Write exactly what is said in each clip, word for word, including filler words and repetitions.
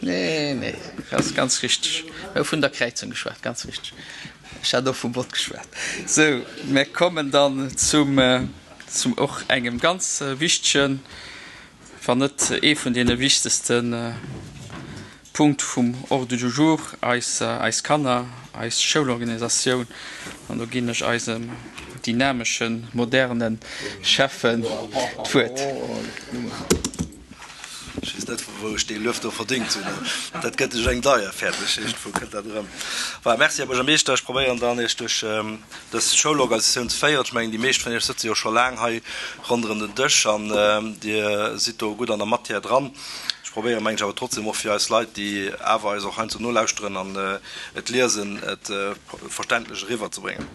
Nee, nee, ass ganz richteg. Mir hu vun der Kräizung geschwat, ganz richteg. Ech hat och vum Bot geschwat. Sou, mir kommen dann zum, zum och engem ganz wichtegen, wann net ee vun deene wichtegste Punkt vum Ordre du jour, eis, eis Kanner, eis Schoulorganisatioun. An do ginn ech eisem dynameschen, moderne Schäffen d'Wuert. Ech weess net, vu wou ech dee Luef do verdéngt hunn. Dat gëtt ech eng deier fäerdeg. Iergendwou kënnt dat erëm. Voilà, merci, Här Buergermeeschter. Ech probéieren dann, Iech duerch dës Schoulorganisatioun ze féieren. Ech mengen, déi meescht vun Iech sëtze jo scho laang hei ronderëm den Dësch an Dir sidd do gutt an der Matière dran. Ech probéieren, mengen ech, awer trotzdem och fir eis Leit, déi awer eis och heiansdo nolauschteren an et liesen, et verständlech eriwwerzebréngen.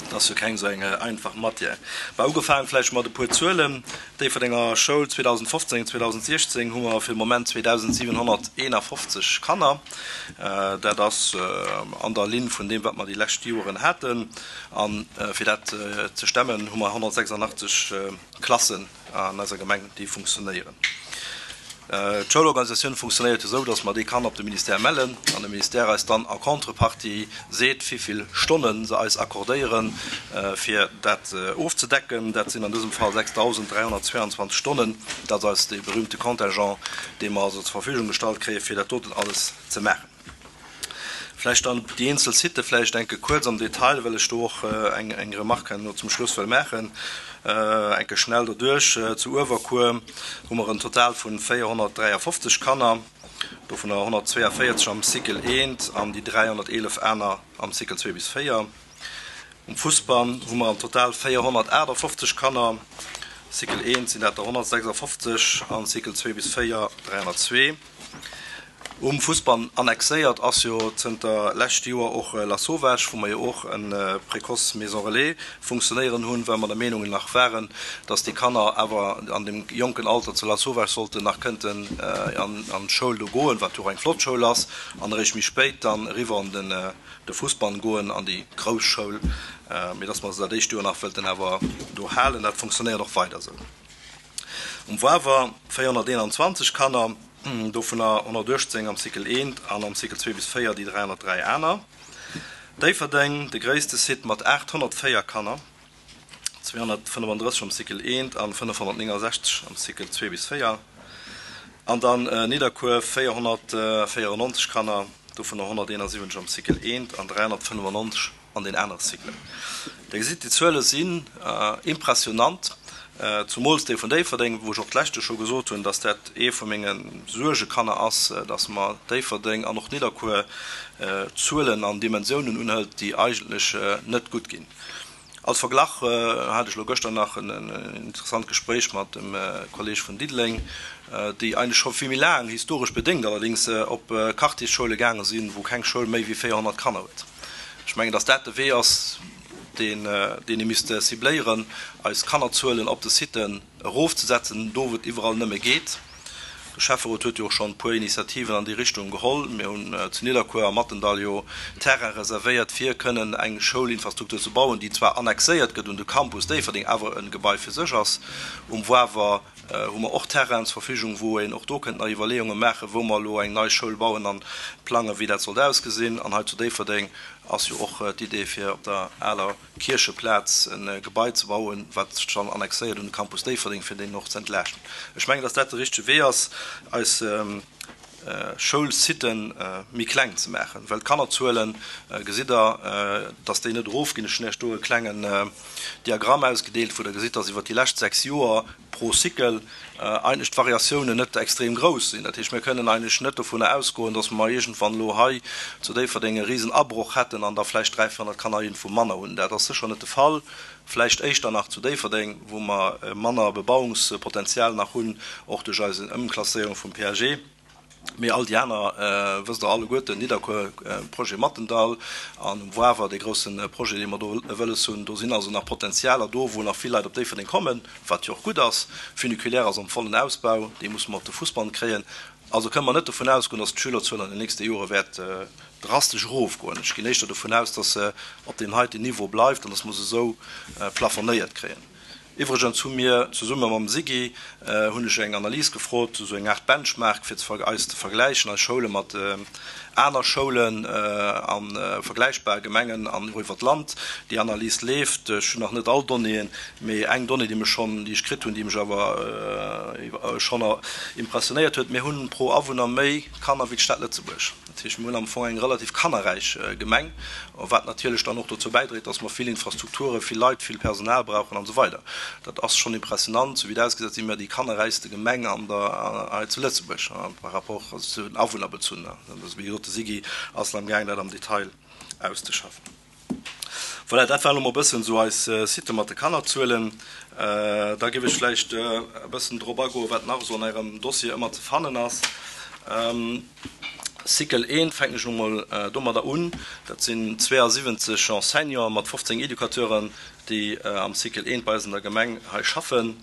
Et ass jo keng esou eng einfach Matière. Bah, ugefaangen vläicht mat e puer Zuelen. Déifferdenger Schoul zweedausendfofzéng, zweedausendsiechzéng hu mer fir de Moment zweedausendsiwenhonnerteenafofzeg Kanner. Dat ass an der Linn vun deem, wat mer déi lescht Joeren haten. A fir dat ze stemmen, hu mer honnertsechsandachtzeg Klassen an eiser Gemeng, déi funktionéieren. D'Schoulorganisatioun funktionéiert jo esou, datt mer déi Kanner op de Ministère mellen an de Ministère eis dann a Contrepartie seet, wéivill Stonne se eis accordéieren, fir dat ofzedecken. Dat sinn an dësem Fall sechsdausenddräihonnertzweianzwanzeg Stonnen. Dat ass dee berühmte Contingent, dee mer also zur Verfügung gestallt kréien, fir dat doten alles ze maachen. Vläicht dann déi eenzel Sitë vläicht enke kuerz am Detail, well ech do och eng eng Remarque herno zum Schluss wëll maachen. Enke schnell doduerch, Zu Uewerkuer hu mer en Total vu véierhonnertdräiafofzeg Kanner, dovunner honnertzweeavéierzeg am Cycle eent an déi dräihonnerteelef aner am Cycle zwee bis véier. Um Fussbann hu mer am Total véierhonnertaachtafofzeg Kanner, Cycle eent sinn dat der honnertsechsafofzeg an Cycle zwee bis véier dräihonnertzwee. Um Fussbann annexéiert ass jo zënter lescht Joer och Lasauvage, wou mer jo och e Précoce Maison Relais funktionéieren hunn, well mer der Meenung nach waren, dass déi Kanner awer an deem jonken Alter zu Lasauvage sollten nach kënnten an d'Schoul do goen, wat jo och eng flott Schoul ass, an eréischt méi spéit dann eriwwer an de Fussbann goen, an déi grouss Schoul, mee dass mer se dat éischt Joer nach wëllten awer do halen. Dat funktionéiert och weider esou. Um Wawer véierhonnerteenanzwanzeg Kanner, dovunner honnertuechtzéng am Cycle eent an am Cycle zwee bis véier déi dräihonnertdräi aner. Déifferdeng, de gréisste Site mat aathonnertvéier Kanner, zweehonnertfënnefandrësseg am Cycle eent an fënnefhonnertnéngensechzeg am Cycle zwee bis véier. An dann Nidderkuer, véierhonnertvéierennonzeg Kanner, dovunner honnerteenasiwwenzeg am Cycle eent an dräihonnertfënnefennonzeg an den anere Cyclen. Dir gesitt, déi Zuele sinn impressionant, zumools déi vun Déifferdeng, wou ech och d'lescht Joer scho gesot hunn, dass dat ee vu menge Suergekanner ass, dass mer Déifferdeng an och Nidderkuer Zuelen an Dimensiounen unhëlt, déi eigentlech net gutt ginn. Als Verglach hat ech elo gëschter nach en interessant Gespréich mat dem Kolleg vun Diddeleng, déi eigentlech scho vill méi laang, historesch bedéngt allerdéngs, op Quartiersschoule gaange sinn, wou keng Schoul méi wéi véierhonnert Kanner huet. Ech mengen, dass dat de Wee ass, deen ee misst cibléieren, eis Kannerzuelen op de Siten erofzesetzen, do wou et iwwerall nëmme geet. De Schäfferot huet jo och schonn e puer Initiativen an déi Richtung geholl. Mir hunn zu Nidderkuer am Mattendall jo Terrain reservéiert, fir kënnen eng Schoulinfrastruktur ze bauen, déi zwar annexéiert gëtt un de Campus Déifferdeng, awer e Gebai fir sech ass. Um Wawer hu mer och Terrainen zur Verfügung, wou een och do kënnt nach Iwwerleeunge maachen, wou mer elo eng nei Schoul bauen an plangen, wéi dat sollt ausgesinn. An hei zu Déifferdeng ass jo och d'Idee, fir op der aler Kiercheplaz e Gebai ze bauen, wat sech dann annexéiert un de Campus Déifferdeng, fir deen och ze entlaaschten. Ech mengen, dass dat de richtege Wee ass, eis Schoulsiten méi kleng ze maachen, well d'Kannerzuelen, gesitt Der, dass déi net erofginn. Ech hunn Iech do e klengen Diagramm ausgedeelt, wou Der gesitt, dass iwwert déi lescht sechs Joer pro Cycle eigentlech d'Variatiounen net extrem grouss sinn. Dat heescht, mir kënnen eigentlech net dovunner ausgoen, dass mer iergendwann elo hei zu Déifferdeng e risen Abroch hätten an da vläicht dräi, véierhonnert Kanner iergendwou manner hunn. Dat ass sécher net de Fall. Vläicht éischter nach zu Déifferdeng, wou mer manner Bebauungspotenzial nach hunn, och duerch eis Ëmklasséierung vum P A G. Mee all déi aner wësst Der alleguerten, Nidderkuer, Projet Mattendall an um Wawer, dee grousse Projet, dee mer do wëlles hunn. Do sinn also nach Potenzialer do, wou nach vill Leit op Déifferdeng kommen, wat jo och gutt ass. Funiculaire ass am vollen Ausbau, dee musse mer op de Fussband kréien. Also kënne mer net dovun ausgoen, dass d'Schülerzuel an den nächste Jore wäert drastesch erofgoen. Ech ginn éischter dovun aus, dass se op deem heiten Niveau bleift an dass mer se esou plafonéiert kréien. Iwwregens hu mir zesumme mam SIGI, hunn ech eng Analys gefrot, esou eng Aart Benchmark, fir eis ze vergläichen, eis Schoule mat aner Schoulen a vergläichbare Gemengen an och iwwer d'Land. Déi Analys leeft. Ech hunn nach net all Donnéeën, mee eng Donnée, déi mech schonn, déi ech kritt hunn, déi mech awer schonn impressionéiert huet, Mir hunn pro Awunner méi Kanner wéi d'Stad Lëtzebuerg. Dat heescht, mir hunn am Fong eng relativ kannerräich Gemeng, wat natierlech dann och dozou bäidréit, dass mer vill Infrastrukturen, vill Leit, vill Personal brauchen an esou weider. Dat ass schonn impressionant. Sou wéi et ausgesäit, si mir déi kannerräichste Gemeng an der, hei zu Lëtzebuerg, par rapport, also zu den Awunner bezunn. Wéi gesot, de SIGI ass amgaang, dat am Detail auszeschaffen. Voilà, dat war elo mol e bëssen esou eis Site mat de Kannerzuelen. Da géif ech vläicht e bëssen drop agoen, wat nach esou an Ärem Dossier ëmmer ze fannen ass. Cycle eent fänken ech elo mol domadder un. Dat sinn zweeasiwwenzeg Enseignanten mat fofzéng Educateuren, déi am Cycle eent bei eis an der Gemeng hei schaffen.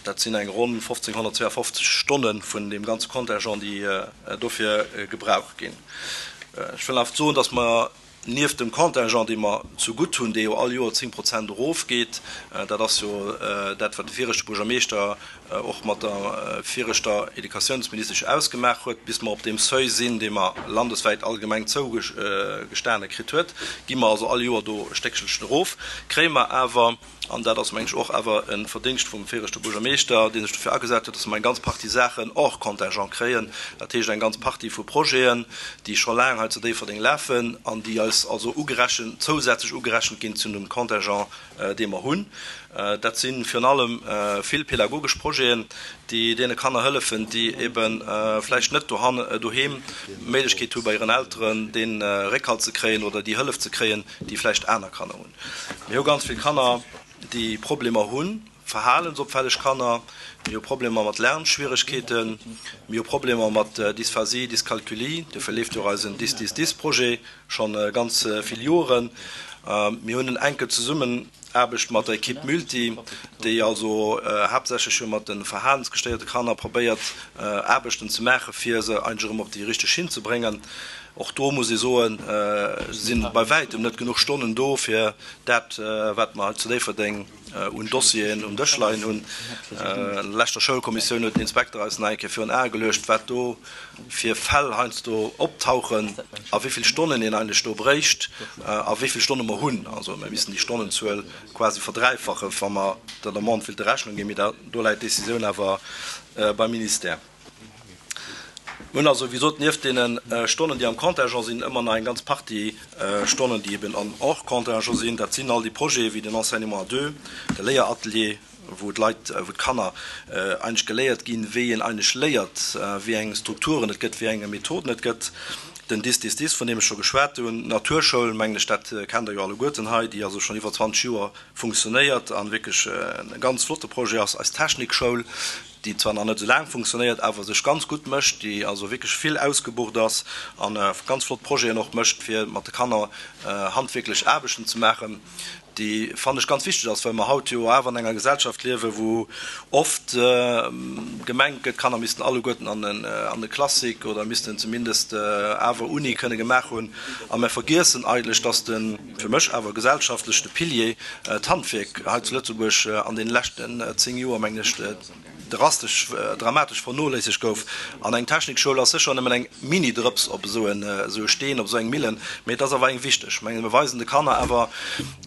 Dat sinn eng ronn fofzénghonnertzweeafofzeg Stonne vun deem ganze Contingent, déi dofir gebraucht ginn. Ech wëll awer soen, dass mer nieft dem Contingent, dee mer zegutt hunn, dee jo all Joer zéng Prozent erofgeet, dat ass jo dat, wat de viregte Buergermeeschter och mat der viregter Educatiounsministesch ausgemaach huet, bis mer op deem Seuil sinn, dee mer landeswäit allgemeng zougestane kritt huet, gi mer also all Joer do e Stéckchelchen erof, kréie mer awer, an dat ass, mengen ech, och awer e Verdingscht vum viregte Buergermeeschter, dee sech dofir agesat huet, dass mer eng ganz Partie Saachen hors contingent kréien, dat heescht eng ganz Partie vu Projeten, déi scho laang hei zu Déifferdeng lafen an déi eis also ugerechent, zousätzlech ugerechent ginn zu dem Contingent, dee mer hunn. Dat si virun allem vill pädagogesch Projeten, déi deene Kanner hëllefen, déi ebe vläicht net doheem d'Méiglechkeet hu bei hiren Elteren dee Réckhalt ze kréien oder déi Hëllef ze kréien, déi vläicht aner Kanner hunn. Mir hu ganz vill Kanner, déi Problemer hunn, verhalensopfälleg Kanner, mir hu Problemer mat Lernschwieregkeeten, mir hu Problemer mat Dysphasie, Dyscalculie, dofir leeft jo och eisen Dys-Dys-Dys-Projet scho ganz vill Joren. Mir hunn en enke Zesummenaarbecht mat der Equipe Multi, déi also haaptsächlech jo mat de verhalensgestéierte Kanner probéiert Aarbechten ze maachen, fir se eigentlech erëm op déi richteg Schinn ze bréngen. Och do muss ee soen, si bei wäitem net genuch Stonnen do, fir dat, wat mer hei zu Déifferdeng un Dossieren um Dësch leien hunn. An der leschter Schoulkommissioun huet den Inspekter eis nach eng Kéier virun Ae geluecht, wat do fir Fäll heiansdo optauchen a wéi vill Stonnen een eigentlech do bréicht a wéi vill Stonne mer hunn. Also mir missten déi Stonnenzuel quasi verdräifachen, wa mer der Demande wéilte Rechnung ginn. Mee do läit d'Décisioun awer beim Ministère. Mir hunn also, wéi gesot, nieft deene Stonnen, déi am Contingent sinn, ëmmer nach eng ganz Partie Stonnen, déi eben an hors contingent sinn. Dat sinn all déi Projete wéi den Enseignement à deux, de Léieratelier, wou d'Leit, wou d'Kanner eigentlech geléiert ginn, wéi een eigentlech léiert, wéi eng Strukturen et gëtt, wéi eng Methoden et gëtt. Den Dys-Dys-Dys, vun deem ech scho geschwat hunn. D'Naturschoul, mengen ech, dat kennt Der jo alleguerten hei, déi also schonn iwwer zwanzeg Joer funktionéiert a wierklech e ganz flotte Projet ass. Eis Technikschoul, déi zwar nach net esou laang funktionéiert, awer sech ganz gutt mécht, déi also wierklech vill ausgebucht ass a ganz flott Projeten och mécht, fir mat de Kanner handwierklech Aarbechten ze maachen, déi, fannen ech, ganz wichteg ass, well mer haut jo awer an enger Gesellschaft liewen, wou oft gemengt gëtt, d'Kanner missten alleguerten an de Classique oder missten zumindest awer Uni kënne gemaach hunn. A mer vergiessen eigentlech, dass de, fir mech awer gesellschaftlech, de Pilier, d'Handwierk hei zu Lëtzebuerg an deene leschten zéng Joer, mengen ech, drastesch, dramatesch vernoléissegt gouf. An eng Technikschoul ass sécher nëmmen eng Mini-Drëps op esou e Steen, op esou eng Millen, mee et ass awer eng wichteg. Ech mengen, mir weisen de Kanner awer,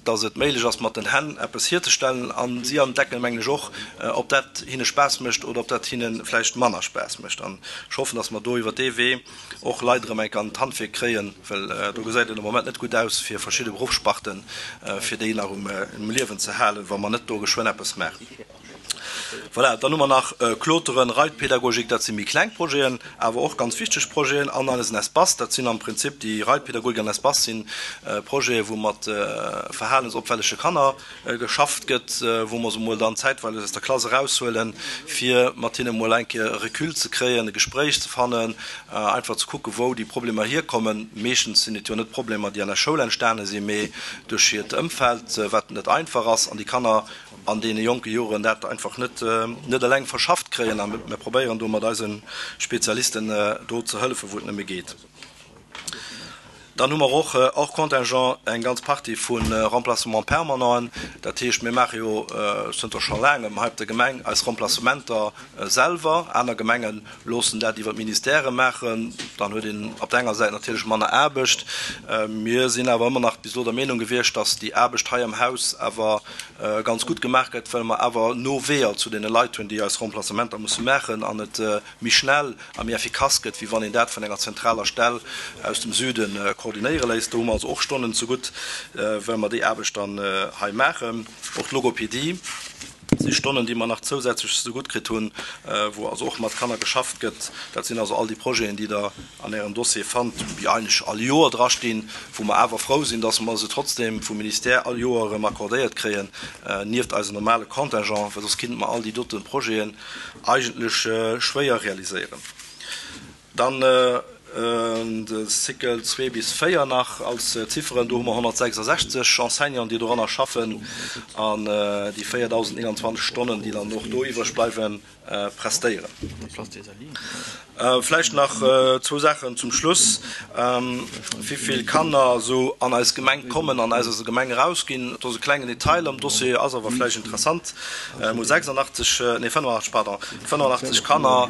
dass et méiglech ass, mat den Hänn eppes hierzestellen a si entdecken, mengen ech, och, ob dat hinne Spaass mécht oder ob dat hinne vläicht manner Spaass mécht. An ech hoffen, dass mer do iwwert dee Wee och Leit erëm enk an d'Handwierk kréien, well do gesäit et am Moment net gutt aus fir verschidde Beruffssparten, fir déi nach um Liewen ze halen, wa mer net do geschwënn eppes maachen. Voilà, dann hu mer nach Kloteren, Reitpädagogik, dat si méi kleng Projeten, awer och ganz wichteg Projeten, an eisen Espace, dat sinn am Prinzip déi Reitpädagogik an Espace si Projeten, wou mat verhalensopfällege Kanner geschafft gëtt, wou mer se emol dann zäitweileg aus der Klass eraushuelen, fir mat hinne emol eng Kéier e Recul ze kréien, e Gespréich ze fannen, einfach ze kucken, wou déi Problemer hierkommen. Meeschtens sinn et jo net Problemer, déi an der Schoul entstane sinn, mee duerch hiert Ëmfeld, wat net einfach ass, an déi Kanner an deene jonke Joren dat einfach net net eleng verschafft kréien. A mir probéieren do mat eise Spezialisten do ze hëllefen, wou et nëmme geet. Dann hu mer och hors contingent eng ganz Partie vu Remplacements permanenten. Dat heescht, mir maache jo zënter scho laangem hei op der Gemeng eis Remplacementer selwer. Aner Gemenge loossen dat iwwer d'Ministèrë maachen. Dann huet een op der enger Säit natierlech manner Aarbecht. Mir sinn awer ëmmer nach bis elo der Meenung gewiescht, dass déi Aarbecht hei am Haus awer ganz gutt gemaach gëtt, well mer awer no Weeër zu deene Leit hunn, déi eis Remplacementer musse maachen an et méi schnell a méi effikass gëtt, wéi wann een dat vun enger zentraler Stell aus dem Süde koordinéiere léisst. Do hu mer also och Stonnen zegutt, well mer déi Aarbecht dann hei maachen. Och d'Logopedie si Stonnen, déi mer nach zousätzlech zegutt kritt hunn, wou also och mat Kanner geschafft gëtt. Dat sinn also all déi Projeten, déi Der an Ärem Dossier fannt, déi eigentlech all Joer drastinn, wou mer awer frou sinn, dass mer se trotzdem vum Ministère all Joer erëm accordéiert kréien, nieft eisem normale Contingent, well soss kinnte mer all déi dote Projeten eigentlech schwéier realiséieren. Dann de Cycle zwee bis véier nach als Zifferen, do hu mer honnertsechsasechzeg Enseignanten, déi doranner schaffen an déi véierdausendnénganzwanzeg Stonnen, déi dann och do iwwreg bleiwen, prestéieren. Vläicht nach zwou Saachen zum Schluss, Wéi vill Kanner esou an eis Gemeng kommen an aus eiser Gemeng erausginn. Dat ass e klengen Detail am Dossier, ass awer vläicht interessant. Mir hu sechsundachtzeg, nee fënnefundachtzeg, pardon, fënnefundachtzeg Kanner,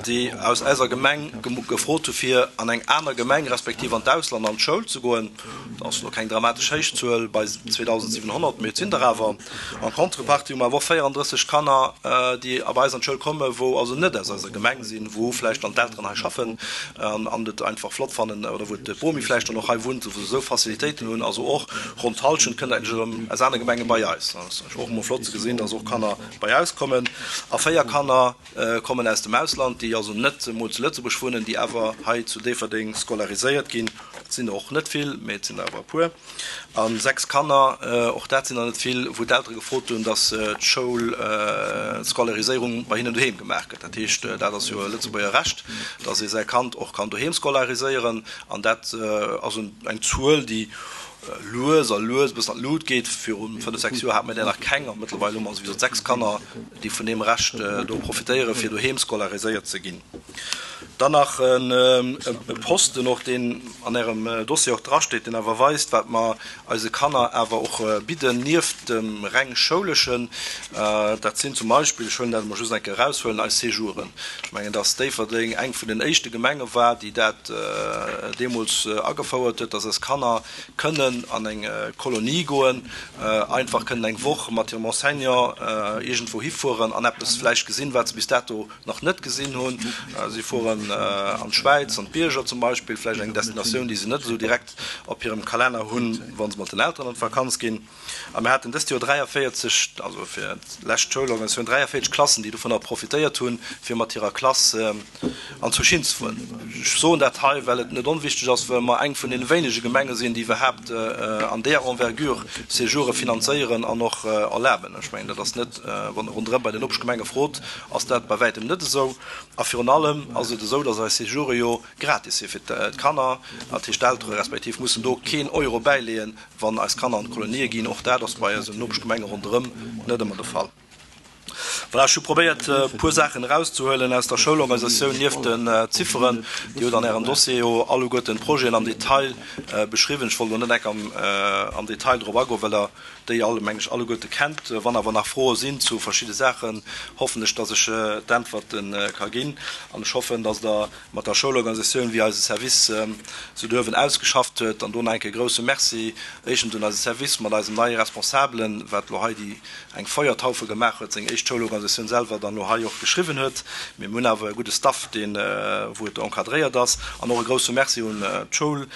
déi aus eiser Gemeng gefrot hu fir an eng aner Gemeng respektiv an d'Ausland an d'Schoul ze goen. Dat ass elo keng dramatesch héich Zuel bei zweedausendsiwenhonnert, mee et sinn der awer. En contrepartie hu mer awer och véierandrësseg Kanner, déi bei eis an d'Schoul kommen, wou also net aus eiser Gemeng sinn, wou vläicht dann d'Elteren hei schaffen an et einfach flott fannen oder wou d'Bomi vläicht dann och hei wunnt, wou se esou Facilitéiten hunn. Also och ronn d'Hallschent kënnt eigentlech erëm aus anere Gemenge bei eis. Dat ass och emol flott ze gesinn, dass och Kanner bei eis kommen. A véier Kanner kommen aus dem Ausland, déi also net emol zu Lëtzebuerg wunnen, déi awer hei zu Déifferdeng scolariséiert ginn. Et sinn der och net vill, mee et sinn der awer e puer. A sechs Kanner, och dat sinn der net vill, wou d'Eltere gefrot hunn, dass d'Schoul, d'Scolariséierung bei hinnen doheem gemaach gëtt. Dat heescht, dat ass jo e Lëtzebuerger Recht, dass ee säi Kand och kann doheem scolariséieren. An dat ass eng Zuel, déi lues a lues e bëssen an d'Lut geet. Viru fënnef, sechs Joer hate mir där nach keng a mëttlerweil hu mer souwisou sechs Kanner, déi vun deem Recht do profitéieren, fir doheem scolariséiert ze ginn. Dann nach e Posten och, deen an Ärem Dossier och drasteet, deen awer weist, wat mer eise Kanner awer och bidden, nieft dem reng Schouleschen. Dat sinn zum Beispill, ech huelen dat emol just eng Kéier eraushuelen, eis Séjouren. Ech mengen, dass Déifferdeng eng vun den éischte Gemenge war, déi dat deemools agefouert huet, dass eis Kanner kënnen an eng Kolonie goen, einfach kënnen eng Woch mat hirem Enseignant iergendwou hifueren an eppes vläicht gesinn, wat se bis dato nach net gesinn hunn. Si fueren an d'Schwäiz, an d'Bierger zum Beispill, vläicht eng Destinatioun, déi se net esou direkt op hirem Kalenner hunn, wa se mat den Elteren an d'Vakanz ginn. A mir haten dëst Joer dräiavéierzeg, also fir d'lescht Schoulorganisatioun, dräiavéierzeg Klassen, déi dovunner profitéiert hunn, fir mat hirer Klass an d'Zouschinn ze fueren. Ech soen dat hei, well et net onwichtig ass, well mer eng vun deene wéinege Gemenge sinn, déi iwwerhaapt an deeër Envergure Séjoure finanzéieren an och erlaben. Ech mengen, dat ass net, wann Der ronderëm bei den Nopeschgemenge frot, ass dat bei wäitem net esou. A virun allem ass et esou, dass eis Séjoure jo gratis si fir d'Kanner. Dat heescht, d'Eltere respektiv mussen do keen Euro bäileeën, wann eis Kanner an d'Kolonië ginn. Och dat ass bei eisen Nopeschgemenge ronderëm net ëmmer de Fall. Voilà, ech hu probéiert, e puer Saachen erauszehuelen aus der Schoulorganisatioun, nieft den Zifferen. Dir hutt an Ärem Dossier jo alleguerten d'Projeten am Detail beschriwwen. Ech wollt elo net enk am Detail drop agoen, well Der déi all, mengen ech, alleguerte kennt. Wann awer nach Froe sinn zu verschidde Saachen, hoffen ech, dass ech d'Äntwerte ka ginn. An ech hoffen, dass Der mat der Schoulorganisatioun, wéi eise Service se duerwen ausgeschafft huet, an do nach eng Kéier e grouse Merci éischtens un eise Service mat eisem neie Responsabelen, wat elo hei déi eng Feuertaufe gemaach huet, seng éischt Schoulorganisatioun selwer dann elo hei och geschriwwen huet. Mee mir hunn awer e gudde Staff, deen, wou et encadréiert ass. An och e grouse Merci un d'Schoul.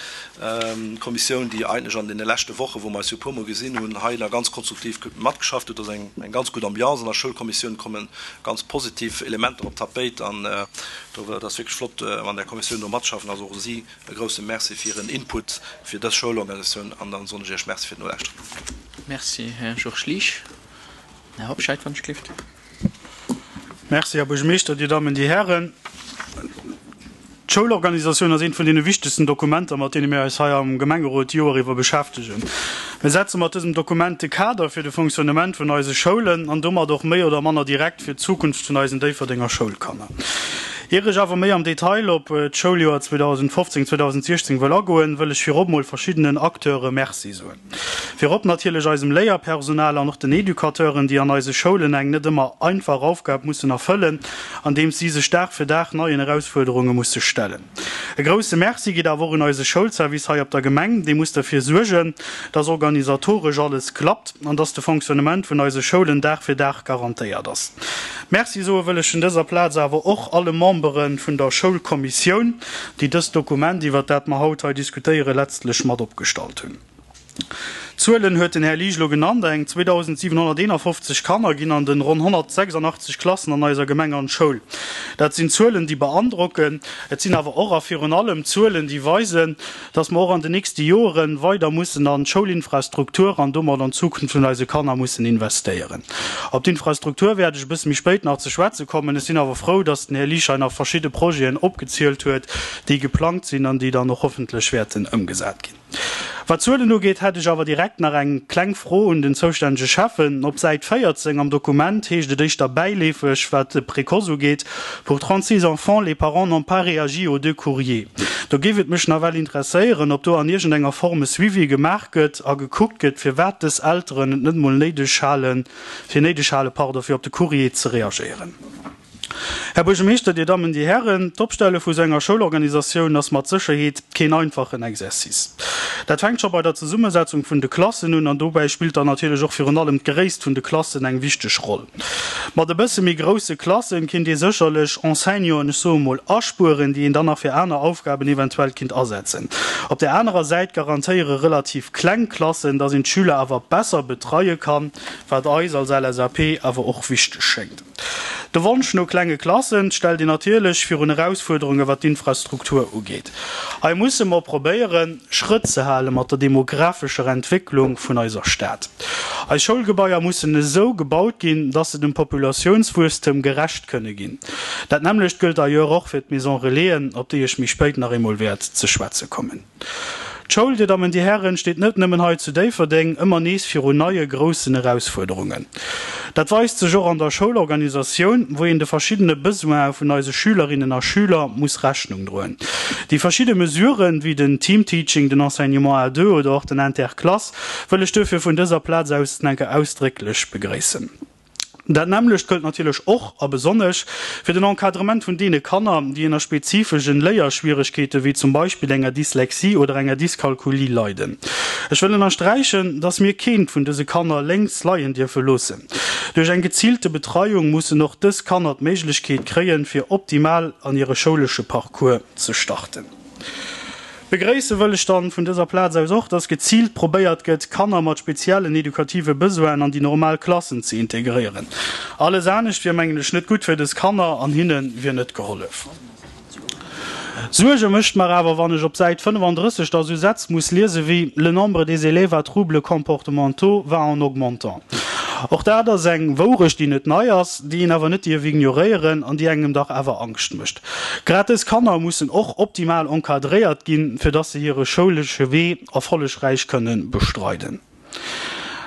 Kommissioun, déi eigentlech an deene leschte Wochen, wou mer eis jo e puermol gesinn hunn, hei nach ganz konstruktiv matgeschafft huet. Et ass eng ganz gutt Ambiance an der Schoulkommissioun, komme ganz positiv Elementer op d'Tapéit an do, et ass wierklech flott an där Kommissioun do matzeschaffen. Also och u si e grouse Merci fir hiren Input fir dës Schoulorganisatioun an dann soen ech Iech Merci fir d'Nolauschteren. Merci, Här Georges Liesch. Här Hobscheit, wann ech gelift. Merci, Här Buergermeeschter, Dir Dammen, Dir Hären. D'Schoulorganisatioun ass eent vun deene wichtegsten Dokumenter, mat deene mir eis hei am Gemengerot d'Joer iwwer beschäftegen. Mir setze mat dësem Dokument de Kader fir de Fonctionnement vun eise Schoulen an domat och méi oder manner direkt fir d'Zukunft vun eisen Déifferdenger Schoulkanner. Ier ech awer méi am Detail op d'Schouljoer zweedausendfofzéng, zweedausendsechzéng wëll agoen, wëll ech virop mol verschiddenen Acteure Merci soen. Virop natierlech eisem Léierpersonal an och den Educateuren, déi an eise Schoulen eng net ëmmer einfach Aufgab mussen erfëllen, andeems si sech Dag fir Dag neien Erausfuerderunge musse stellen. E grousse Merci geet awer och un eise Schoulservice hei op der Gemeng, dee muss derfir suergen, dass organisatoresch alles klappt an dass de Fonctionnement vun eise Schoulen Dag fir Dag garantéiert ass. Merci soe wëll ech un dëser Plaz awer och alle Membere vun der Schoulkommissioun, déi dëst Dokument, iwwert dat mer haut hei diskutéieren, letztlech mat opgestallt hunn. D'Zuelen huet den Här Liesch elo genannt, Eng zweedausentsiwenhonnerteenafofzeg Kanner ginn an den ronn honnertsechsandachtzeg Klassen an eiser Gemeng an d'Schoul. Dat sinn Zuelen, déi beandrocken. Et sinn awer och a virun allem Zuelen, déi weisen, dass mer och an den nächste Joere weider mussen an d'Schoulinfrastruktur an domat an d'Zukunft vun eise Kanner mussen investéieren. Op d'Infrastruktur wäert ech e bësse méi spéit nach ze schwätze kommen. Ech sinn awer frou, dass den Här Liesch hei nach verschidde Projeten opgezielt huet, déi geplangt sinn an déi dann och hoffentlech wäerten ëmgesat ginn. Wat d'Zuelen ugeet, hätt ech awer direkt nach eng kleng Fro un den zoustännege Schäffen. Op Säit véierzéng am Dokument heescht et éischter bäileefeg, wat de Précoce ugeet, Pour trente-six enfants, les parents n'ont pas réagi aux deux courriers. Do géif et mech nawell interesséieren, ob do an iergendenger Form e Suivi gemaach gëtt a gekuckt gëtt, firwat dës Elteren et net mol néideg halen, fir néideg halen, pardon, fir op de Courrier ze reagéieren. Här Buergermeeschter, Dir Dammen, Dir Hären, d'Opstelle vu sou enger Schoulorganisatioun ass mat Sécherheet keen einfachen Exercice. Dat fänkt scho bei der Zesummesetzung vun de Klassen un an dobäi spillt dann natierlech och virun allem d'Gréisst vun de Klassen eng wichteg Roll. Mat e bësse méi grousse Klassen kinnt ee sécherlech Enseignanten, ech soe mol, aspueren, déi een dann nach fir aner Aufgaben eventuell kinnt asetzen. Op där anerer Säit garantéiere relativ kleng Klassen, dass een d'Schüler awer besser betreie kann, wat eis als L S A P awer och wichteg schéngt. De Wonsch no klenge Klassen stellt een natierlech virun Erausfuerderunge wat d'Infrastruktur ugeet. Hei musse mer probéieren, Schrëtt ze hale mat der demographescher Entwécklung vun eiser Stad. Eis Schoulgebaier mussen esou gebaut ginn, dass se dem Populatiounswuesstem gerecht kënne ginn. Dat nämmlecht gëllt d'ailleurs och fir d'Maison Relaisen, op déi ech méi spéit nach eemol wäert ze schwätze kommen. D'Schoul, Dir Dammen, Dir Hären, steet net nëmmen hei zu Déifferdeng ëmmer nees virun neie groussen Erausfuerderungen. Dat weist sech och an der Schoulorganisatioun, wou een de verschiddene Besoine vun eise Schülerinnen a Schüler muss Rechnung droen. Déi verschidde Mesuren, wéi den Teamteaching, den Enseignement à deux oder och den Interclasse, wëll ech duerfir vun dëser Plaz aus enke ausdrécklech begréissen. Dat nämmlecht gëllt natierlech och a besonnesch fir den Encadrement vun deene Kanner, déi ënner spezifeschen Léierschwieregkeete wéi zum Beispill enger Dyslexie oder enger Dyskalkulie leiden. Ech wëll ënnersträichen, dass mir keent vun dëse Kanner lénks leien dierfe loossen. Duerch eng geziilte Betreiung mussen och dës Kanner d'Méiglechkeet kréien, fir optimal an hire schoulesche Parcours ze starten. Begréisse wëll ech dann vun dëser Plaz aus och, dass geziilt probéiert gëtt, Kanner mat speziellen edukative Besoinen an déi normal Klassen ze integréieren. Alles anescht wier, mengen ech, net gutt fir dës Kanner an hinne wier net gehollef. Suerge mécht mer awer, wann ech op Säit fënnefandrësseg da sou Sätz muss liese wéi, Le nombre des élèves à troubles comportementaux va en augmentant. Och dat ass eng Wourecht, déi net nei ass, déi een awer net dierf ignoréieren an déi engem dach awer Angscht mécht. Grad dës Kanner mussen och optimal encadréiert ginn, fir dass se hire schoulesche Wee erfollegräich kënne bestreiden.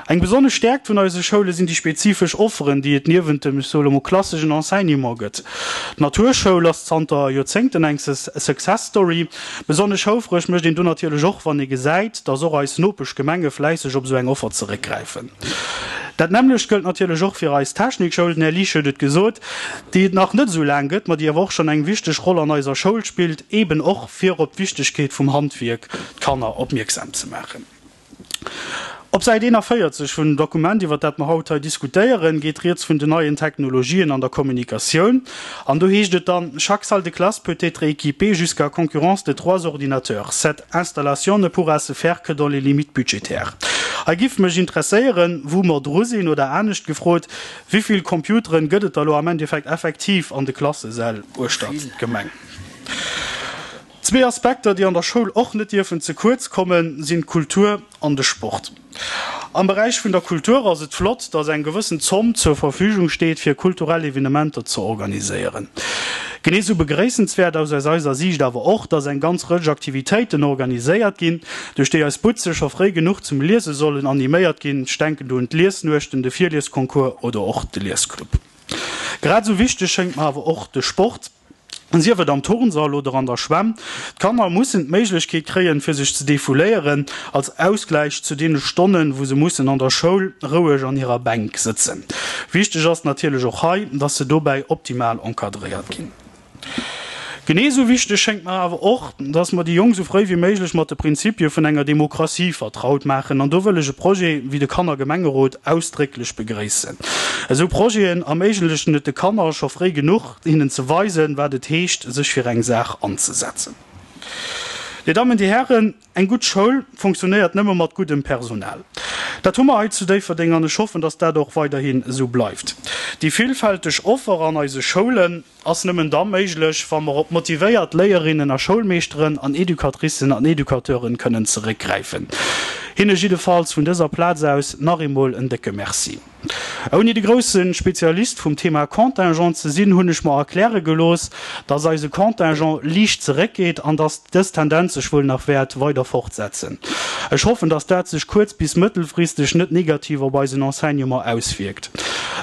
Eng besonnesch Stäerkt vun eise Schoule sinn déi spezifesch Offeren, déi et niewent dem, ech soe lo mol, klasseschen Enseignement gëtt. D'Naturschoul ass zanter Joerzéngten eng Success Story. Besonnesch houfreg mécht een do natierlech och, wann ee gesäit, dass och eis Nopeschgemenge fläisseg op esou eng Offer zeréckgräifen. Dat nämmlecht gëllt natierlech och fir eis Technikschoul, den Här Liesch huet et gesot, déi et nach net esou laang gëtt, ma déi awer och schonn eng wichteg Roll an eiser Schoul spillt, eeben och fir op d'Wichtegkeet vum Handwierk d'Kanner opmierksam ze maachen. Op Säit eenavéierzeg vun dem Dokument, iwwert dat mer haut hei diskutéieren, geet rieds vun den neien Technologien an der Kommunikatioun. An do heescht et dann, Chaque salle de classe peut être équipée jusqu'à concurrence de trois ordinateurs. Cette installation ne pourra se faire que dans les limites budgétaires. Hei giff mech interesséieren, wou mer dru sinn, oder anescht gefrot, Wéivill Computeren gëtt et da lo am Endeffekt effektiv an de Klassesäll uechtert d'Gemeng? Zwee Aspekter, déi an der Schoul och net dierfen ze kuerz kommen, sinn d'Kultur an de Sport. Am Beräich vun der Kultur ass et flott, dass eng gewëssen Zomm zur Verfügung steet, fir kulturell Evenementer ze organiséieren. Genee sou begréissenswäert ass aus eiser Siicht awer och, dass eng ganz Rëtsch Aktivitéiten organiséiert ginn, duerch déi eis Butze scho fréi genuch zum Liese sollen animéiert ginn, ech denken do un d'Liesnuechten, de Virliesconcours oder och de Liesclub. Grad esou wichteg schéngt mer awer och de Sport. Sief et am Turnsall oder an der Schwämm, d'Kanner mussen d'Méiglechkeet kréien, fir sech ze defouléieren, als Ausgläich zu deene Stonnen, wou se mussen an der Schoul roueg an hirer Bänk sëtzen. Wichteg ass natierlech och hei, dass se dobäi optimal encadréiert ginn. Genee sou wichteg schéngt mer awer och, dass mer déi Jonk sou fréi wéi méiglech mat de Prinzipie vun enger Demokratie vertraut maachen. An do wëll ech e Projet wéi de Kannergemengerot ausdrécklech begréissen. Esou Projeten erméiglechen et de Kanner scho fréi genuch, hinnen ze weisen, wat et heescht, sech fir eng Saach anzesetzen. Dir Dammen, Dir Hären, eng gutt Schoul funktionéiert nëmme mat guddem Personal. Dat hu mer hei zu Déifferdeng an ech hoffen, dass dat och weiderhin esou bleift. Déi villfälteg Offer an eise Schoulen ass nëmmen da méiglech, wa mer op motivéiert Léierinnen a Schoulmeeschteren an Educatricen an Educateuren kënnen zeréckgräifen. Hinne jiddefalls vun dëser Plaz aus nach eemol en décke Merci. Ouni de grousse Spezialist vum Thema Contingent ze sinn, hunn ech mer erkläre gelooss, dass eise Contingent liicht zeréckgeet an dass dës Tendenz sech wuel nach wäert weider fortsetzen. Ech hoffen, dass dat sech kuerz bis mëttelfristeg net negativ op eisen Enseignement auswierkt.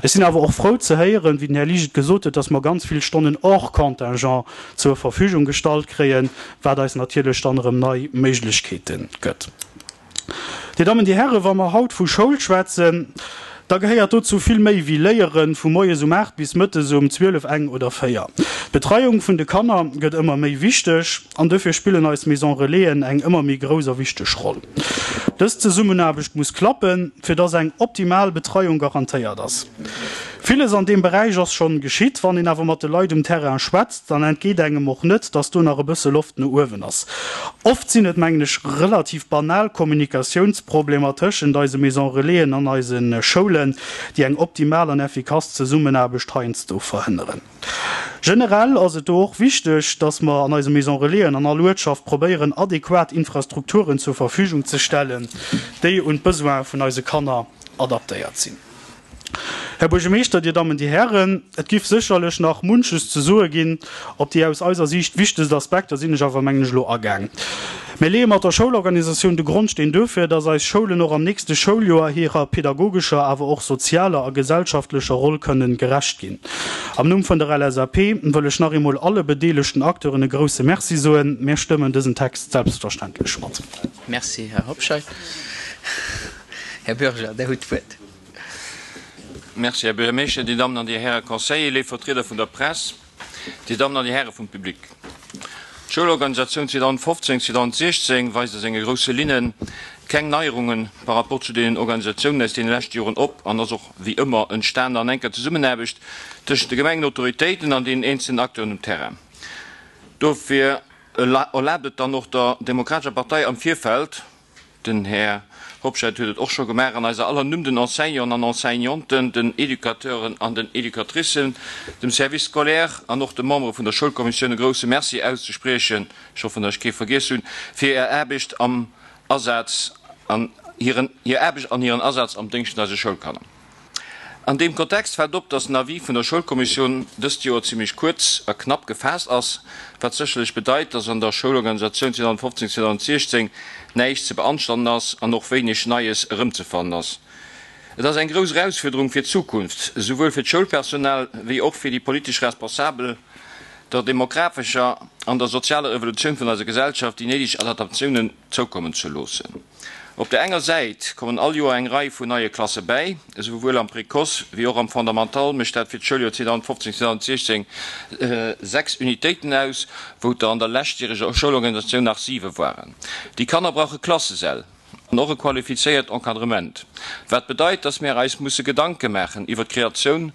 Ech sinn awer och frou ze héieren, wéi den Här Liesch et gesot huet, dass mer ganz vill Stonnen hors contingent zur Verfügung gestallt kréien, wat eis natierlech dann erëm nei Méiglechkeete gëtt. Dir Dammen, Dir Hären, wa mer haut vu Schoul schwätzen, da gehéiert dozou vill méi wéi Léieren vu moies um aacht bis mëttes um zwielef, eng oder véier. D'Betreiung vun de Kanner gëtt ëmmer méi wichteg an dofir spillen eis Maison Relaisen eng ëmmer méi grouss a wichteg Roll. Dës Zesummenaarbecht muss klappen, fir dass eng optimal Betreiung garantéiert ass. Villes an deem Beräich ass schonn geschitt. Wann een awer mat de Leit um Terrain schwätzt, dann entgeet engem och net, dass do nach e bësse Loft no uewen ass. Oft sinn et, mengen ech, relativ banal Kommunikatiounsproblemer tëschent eise Maison Relaisen an eise Schoulen, déi eng optimal an effikass Zesummenaarbecht heiansdo verhënneren. Generell ass et do och wichteg, dass mer an eise Maison Relaisen an all Uertschaft probéieren, adequat Infrastrukturen zur Verfügung ze stellen, déi un d'Besoine vun eise Kanner adaptéiert sinn. Här Buergermeeschter, Dir Dammen, Dir Hären, et giff sécherlech nach munches ze soe ginn. Op déi aus eiser Siicht wichtegst Aspekter sinn ech awer, mengen ech, elo agaang. Mir leeë mat der Schoulorganisatioun de Grondsteen duerfir, dass eis Schoulen och am nächste Schouljoer hirer pedagogescher, awer och sozialer a gesellschaftlecher Roll kënnen gerecht ginn. Am Numm vun der L S A P wëll ech nach eemol alle bedeelegten Acteuren e grouse Merci soen. Mir stëmmen dësen Text selbstverständlech mat. Merci, Här Hobscheit. Här Bürger, Dir hutt d'Wuert. Merci, Här Buergermeeschter, Dir Dammen an Dir Häre Conseiller, léif Vertrieder vun der Press, Dir Dammen an Dir Häre vum Public. D'Schoulorganisatioun zweedausendfofzéng, zweedausendsiechzéng weist a senge grousse Linne keng Neierunge par rapport zu deenen Organisatiounen aus deene leschte Joren op an ass och wéi ëmmer entstanen an enker Zesummenaarbecht tëschent de Gemengenautoritéiten an deenen eenzelnen Acteuren um Terrain. Dofir erlaabt et dann och der Demokratescher Partei am Virfeld, den Här Hobscheit huet et och scho gemaach, an eiser aller Numm den Enseignanten an Enseignanten, den Educateuren an den Educatricen, dem Service scolaire an och de Membere vun der Schoulkommissioun e grouse Merci auszespriechen, ech hoffen, datt ech kee vergiess hunn, fir hir Aarbecht am Asaz an hiren, hir Aarbecht an hiren Asaz am Déngscht vun eise Schoulkanner. An deem Kontext fält op, dass den Avis vun der Schoulkommissioun dëst Joer zimmlech kuerz a knapp gefaasst ass, wat sécherlech bedeit, dass an der Schoulorganisatioun zweedausendfofzéng, zweedausendsiechzéng näischt ze beanstanden ass an och wéineg Neies erëmzefannen ass. Et ass eng grouss Erausfuerderung fir d'Zukunft, esouwuel fir d'Schoulpersonal wéi och fir déi politesch Responsabel, der demografescher an der sozialer Evolutioun vun eiser Gesellschaft déi néideg Adaptatiounen zoukommen ze loossen. Op der enger Säit kommen all Joer eng Rei vun neie Klasse bäi, esouwuel am Précoce wéi och am Fondamental mécht dat fir d'Schouljoer zweedausendfofzéng, zweedausendsiechzéng sechs Unitéiten aus, wou et der an der leschtjäreger Schoulorganisatioun nach siwe waren. Déi Kanner brauche Klassesäll an och e qualifizéiert Encadrement, wat bedeit, dass mär eis musse Gedanke maachen iwwer d'Kreatioun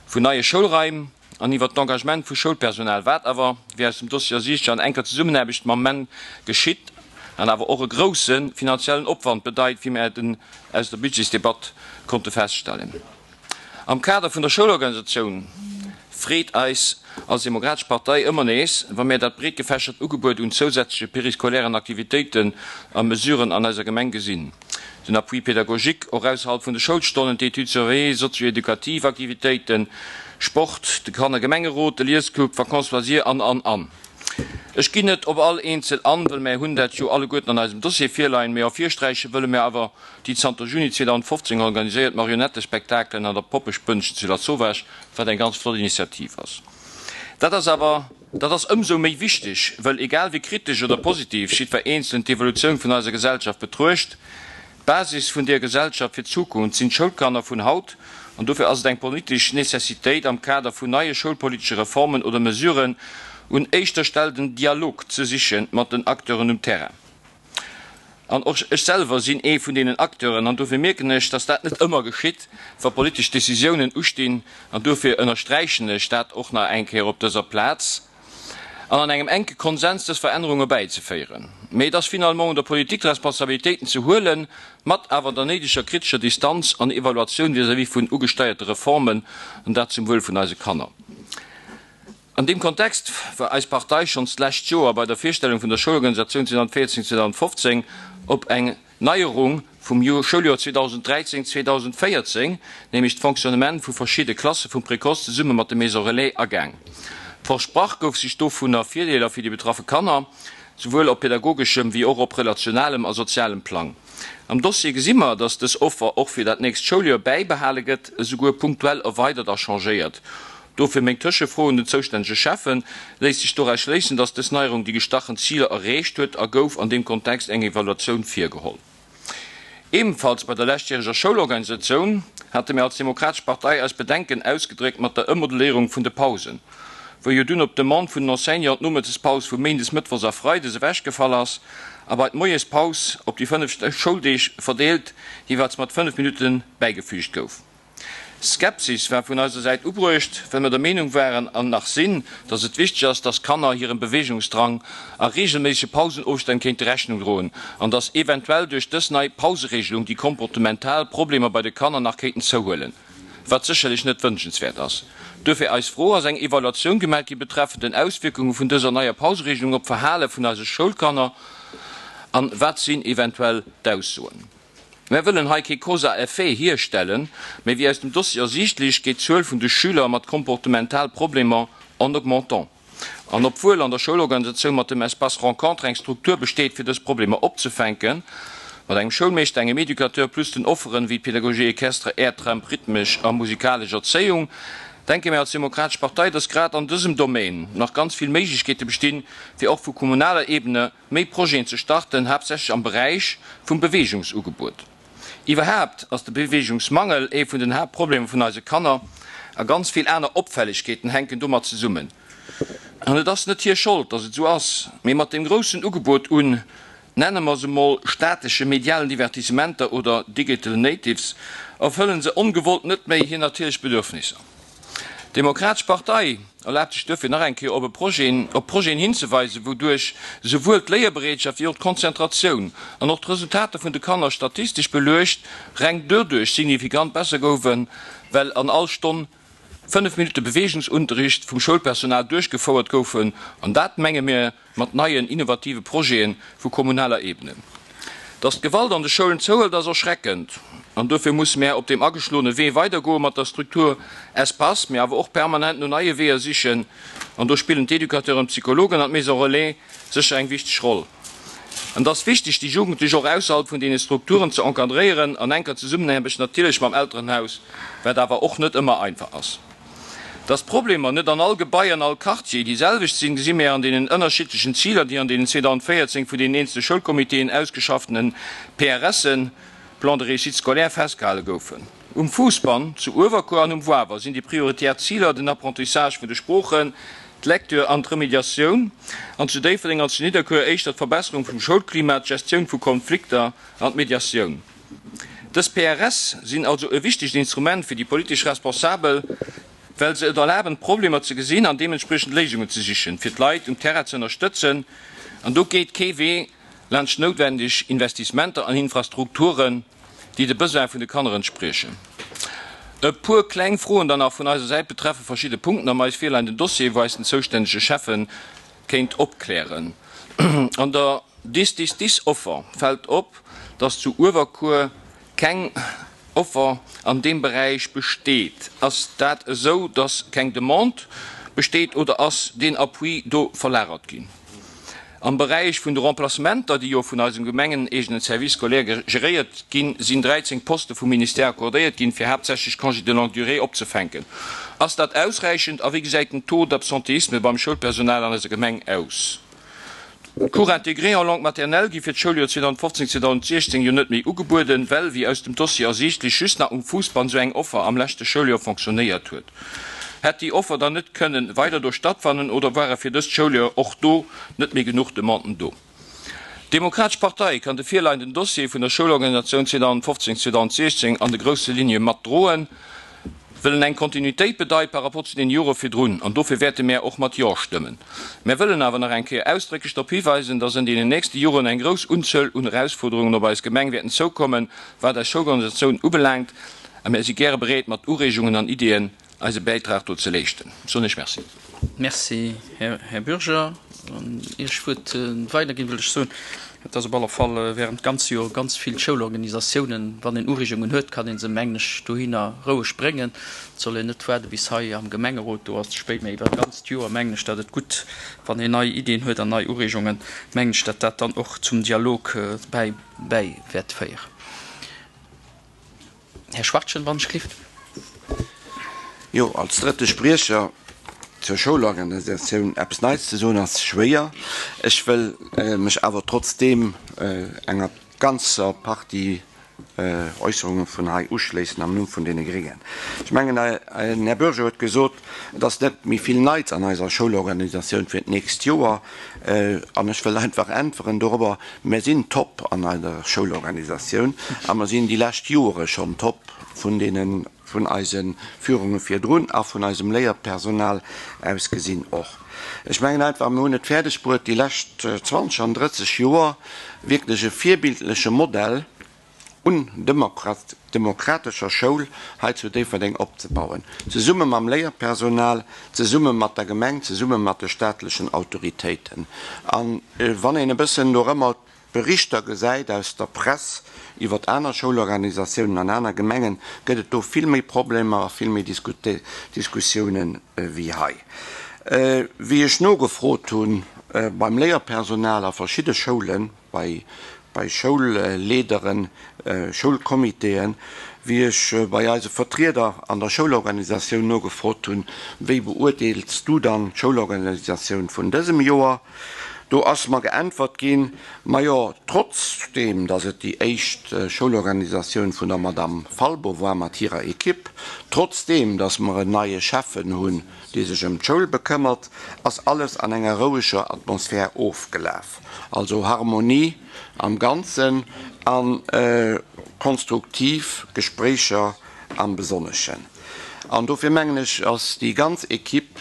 vun neie Schoulraim an iwwer d'Engagement vu Schoulpersonal, wat awer, wéi aus dem Dossier ersiichtlech, an enker Zesummenaarbecht mam MEN geschitt an awer och e grousse finanziellen Opwand bedeit, wéi mir et aus der Budgetsdebatt konnte feststellen. Am Kader vun der Schoulorganisatioun freet eis als Demokratesch Partei ëmmer nees, wa mir dat breet gefächert Ugebuet un zousätzleche périscolairen Aktivitéiten a Mesuren an eiser Gemeng gesinn. Den Appui pédagogique och ausserhalb vun de Schoulstonnen, d'Études surveillées, sozio-edukativ Aktivitéiten, Sport, de Kannergemengerot, de Liesclub, Vacances loisirs an, an, an. Ech ginn net op all eenzel an, well mär hunn dat jo alleguerten an eisem Dossier virleien, mee ervirsträiche wëlle mär awer déi zanter Juni zweedausendfofzéng organiséiert Marionettespektakelen an der Poppespënnchen zu Lasauvage, wat eng ganz flott Initiativ ass. Dat ass awer Dat ass ëmsou méi wichteg, well egal wéi kritesch oder positiv jiddwer Eenzelen d'Evolutioun vun eiser Gesellschaft betruecht, d'Basis vun deer Gesellschaft fir d'Zukunft sinn d'Schoulkanner vun haut an dofir ass et eng politesch Necessitéit am Kader vun neie schoulpolitesche Reformen oder Mesuren un éischter Stell den Dialog ze siche mat den Acteuren um Terrain. An och ech selwer sinn ee vun deenen Acteuren an dofir mierken ech, dass dat net ëmmer geschitt, wa politesch Decisiounen ustinn an dofir ënnersträichen ech dat och nach eng Kéier op dëser Plaz. An an engem enke Konsens dës Verännerunge bäizeféieren. Mee et ass finalement un der Politik d'Responsabilitéiten ze huelen, mat awer der néideger kritescher Distanz an Evaluatioun vis-à-vis vun ugesteierte Reformen, an dat zum Wuel vun eise Kanner. An deem Kontext war eis Partei schonns d'lescht Joer bei der Virstellung vun der Schoulorganisatioun zweedausendvéierzéng, zweedausendfofzéng op eng Neierung vum Schouljoer zweedausend dräizéng, zweedausend véierzéng, nämlech d'Fonctionnement vu verschidde Klasse vum Précoce zesumme mat de Maisons Relais agaang. Versprach gouf sech dovunner Virdeeler fir déi betraffe Kanner, souwuel op pädagogeschem wéi och op relationalem a sozialem Plang. Am Dossier gesi mer, dass dës Offer och fir dat nächst Schouljoer bäibehale gëtt, esouguer punktuell erweidert a changéiert. Dofir meng Tëschefro un den zoustännege Schäffen, Léisst sech doraus schléissen, dass dës Neierung déi gestachen Ziler erreecht huet a gouf an deem Kontext eng Evaluatioun virgeholl? Ebenfalls bei der leschtjäreger Schoulorganisatioun hate mir als Demokratesch Partei eis Bedenken ausgedréckt mat der Ëmmodelléierung vun de Pausen, wou jo dunn op Demande vun den Enseignanten d'Nomëttespaus vu méindes, mëttwochs a freides ewechgefall ass a bei d'Moiespaus op déi fënnef Schouldeeg verdeelt jeeweils mat fënnef Minutte bäigefüügt gouf. Skepsis war vun eiser Säit ubruecht, well mir der Meenung waren an nach sinn, dass et wichteg ass, dass Kanner hirem Beweegungsdrang a reegelméissege Pausenofstänn kéinte Rechnung droen an dass eventuell duerch dës nei Pausereegelung déi komportemental Problemer bei de Kanner nach kéinten zouhuelen, wat sécherlech net wënschenswäert ass. Duerfir eis Fro, Ass eng Evaluatioun gemaach gi betreffend den Auswierkunge vun dëser neier Pausereegelung op d'Verhale vun eise Schoulkanner an wat sinn eventuell d'Aussoen? Mär wëllen hei kee Cause à effet hierstellen, mee wéi aus dem Dossier ersiichtlech, geet d'Zuel vun de Schüler mat komportemental Problemer en augmentant. An obwuel an der Schoulorganisatioun mat dem Espace rencontre eng Struktur besteet, fir dës Problemer opzefänken, mat engem Schoulmeeschter, engem Educateur plus den Offeren wéi d'Pédagogie équestre, Airtramp, rhythmesch a musikalesch Erzéiung, denke mir als Demokratesch Partei, dass grad an dësem Domaine nach ganz vill Méiglechkeete bestinn, fir och vu kommunaler Ebene méi Projeten ze starten, haaptsächlech am Beräich vum Beweegungsugebuet. Iwwerhaapt ass de Beweegungsmangel ee vun den Haaptproblemer vun eise Kanner a ganz vill aner Opfällegkeeten hänken domat zesummen. An et ass net hir Schold, dass et esou ass, mee mat deem groussen Ugebot un, nenne mer se mol, statesche medialen Divertissementer oder Digital Natives, erfëllen se ongewollt net méi hir natierlech Bedürfnisser. D'Demokratesch Partei erlaabt sech duerfir nach eng Kéier op e Projet, op Projeten hinzeweisen, wouduerch souwuel d'Léierbereetschaft wéi och d'Konzentratioun an och d'Resultater vun de Kanner statistesch beluecht reng doduerch signifikant besser goufen, well an all Stonn fënnef Minutte Beweegungsunterricht vum Schoulpersonal duerchgefouert goufen, an dat, menge mir, mat neien innovative Projete vu kommunaler Ebene. Dass d'Gewalt an de Schoulen zouhëlt ass erschreckend an dofir musse mär op deem ageschloene Wee weidergoe mat der Struktur Espace, mee awer och permanent no neie Weeër sichen an do spillen d'Educateuren, d'Psychologen an d'Maison Relais sécher eng wichteg Roll. An et ass wichteg déi Jugendlech och ausserhalb vun deene Strukturen ze encadréieren, an enker Zesummenaarbecht natierlech mam Elterenhaus, wat awer och net ëmmer einfach ass. Dass d'Problemer net an all Gebai an all Quartier déi selwecht sinn, gesi mir an deenen ënnerschiddlechen Ziler, déi an deenen zweedausendvéierzéng vun deenen eenzele Schoulcomitéen ausgeschaffene P R Sen, Plans de réussite scolaire, festgehale goufen. Um Fousbann, zu Uewerkuer an um Wawer sinn déi prioritär Ziler den Apprentissage vun de Sproochen, d'Lecture an d'Remédiatioun, an zu Déifferdeng an zu Nidderkuer éischter d'Verbesserung vum Schoulklima, d'Gestioun vu Konflikter an d'Mediatioun. Dës P R S sinn also e wichtegt Instrument fir déi politesch Responsabel, well se et erlaben, d'Problemer ze gesinn an deementspriechend Léisungen ze sichen, fir d'Leit um Terrain ze ënnerstëtzen. An do geet kee Wee laanscht noutwendeg Investissementer an Infrastrukturen, déi de Besoine vun de Kanner entspriechen. E puer kleng Froen dann nach vun eiser Säit betreffe verschidde Punkten am eis virleienden Dossier, wou eis den zoustännege Schäffe kéint opklären. An der Dix-Dix-Dix-Offer fält op, dass zu Uewerkuer keng Offer an deem Beräich besteet. Ass dat esou, dass keng Demande besteet oder ass deen Appui do verlagert ginn? Am Beräich vun de Remplacementer, déi jo vun eisem gemengeneegenen Service scolaire geréiert ginn, sinn dräizéng Poste vum Ministère accordéiert ginn, fir haaptsächlech Congés de longue durée opzefänken. Ass dat ausräichend a wéi gesäit den Taux d'absentéisme beim Schoulpersonal an eiser Gemeng aus? D'Cours intégrés en langue maternelle gi fir d'Schouljoer zweedausendfofzéng, zweedausendsiechzéng jo net méi ugebueden, well, wéi aus dem Dossier ersiichtlech, just nach um Fousbann esou eng Offer am leschte Schouljoer fonctionnéiert huet. Hätt déi Offer dann net kënnen weider do stattfannen oder ware fir dëst Schouljoer och do net méi genuch Demanden do? D'Demokratesch Partei kann de virleienden Dossier vun der Schoulorganisatioun zweedausendfofzéng, zweedausendsiechzéng an de grousse Ligne matdroen, wëll en eng Kontinuitéit bedeit par rapport zu den Jore virdrun, an dofir wäerte mär och mat Jo stëmmen. Mär wëllen awer nach eng Kéier ausdrécklech drop hiweisen, dass an deenen nächste Joren eng grouss Unzuel un Erausfuerderungen op eis Gemeng wäerten zoukommen, wat eis Schoulorganisatioun ubelaangt, a mär si gäre bereet, mat Ureegungen an Iddien eise Bäitrag do ze leeschten. Soen ech Merci. Merci, Här Bürger. An ier ech d'Wuert weiderginn, wëll ech soen, dass op alle Fall während ganze Joer ganz vill Schoulorganisatiounen, wann een Ureegungen huet, kann ee se, mengen ech, dohinner roueg bréngen. Et soll een net waarde bis hei am Gemengerot, do ass et ze spéit, mä iwwer d'ganzt Joer mengen ech, datt et gutt, wann een nei Iddien huet an nei Ureegungen, mengen ech, datt dat dann och zum Dialog bäi bäi wäert féieren. Här Schwachtgen, wann ech gelift. Jo, als drëtte Spriecher zur Schoulorganisatioun eppes Neits ze soen, ass schwéier. Ech wëll mech awer trotzdeem enger ganzer Partie Äusserunge vun hei uschléissen am Numm vun deene Gréngen. Ech mengen, den Här Bürger huet gesot, et ass net méi vill Neits an eiser Schoulorganisatioun fir d'nächst Joer. An ech wëll einfach äntweren dorobber, Mir sinn top an eiser Schoulorganisatioun a mer sinn déi lescht Jore schonn top vun deene vun eise Führunge virdrun a vun eisem Léierpersonal aus gesinn och. Ech mengen einfach, mir hunn et fäerdeg bruet, déi lescht zwanzeg an drësseg Joer wierklech e virbildleche Modell un demokratescher Schoul hei zu Déifferdeng opzebauen, zesumme mam Léierpersonal, zesumme mat der Gemeng, zesumme mat de staatlechen Autoritéiten. A wann een e bëssen dorëmmer Berichter gesäit aus der Press iwwert aner Schoulorganisatiounen an aner Gemengen, gëtt et do vill méi Problemer a vill méi Diskussiounen wéi hei. Wéi ech nogefrot hu beim Léierpersonal a verschidde Schoulen, bei Schoulleaderen, Schoulcomitéen, wéi ech bei eise Vertrieder an der Schoulorganisatioun nogefrot hunn, Wéi beurteels du dann d'Schoulorganisatioun vun dësem Joer? Do ass mer geäntwert ginn, Majo, trotzdeem datt et déi éischt Schoulorganisatioun vun der Madamm Falbo war mat hirer Equipe, trotzdeem datt mer en neie Schäffen hunn, dee sech ëm d'Schoul bekëmmert, ass alles an enger roueger Atmosphär ofgelaf. Also Harmonie am Ganzen a konstruktiv Gespréicher am Besonneschen. An dofir mengen ech, ass déi ganz Equipe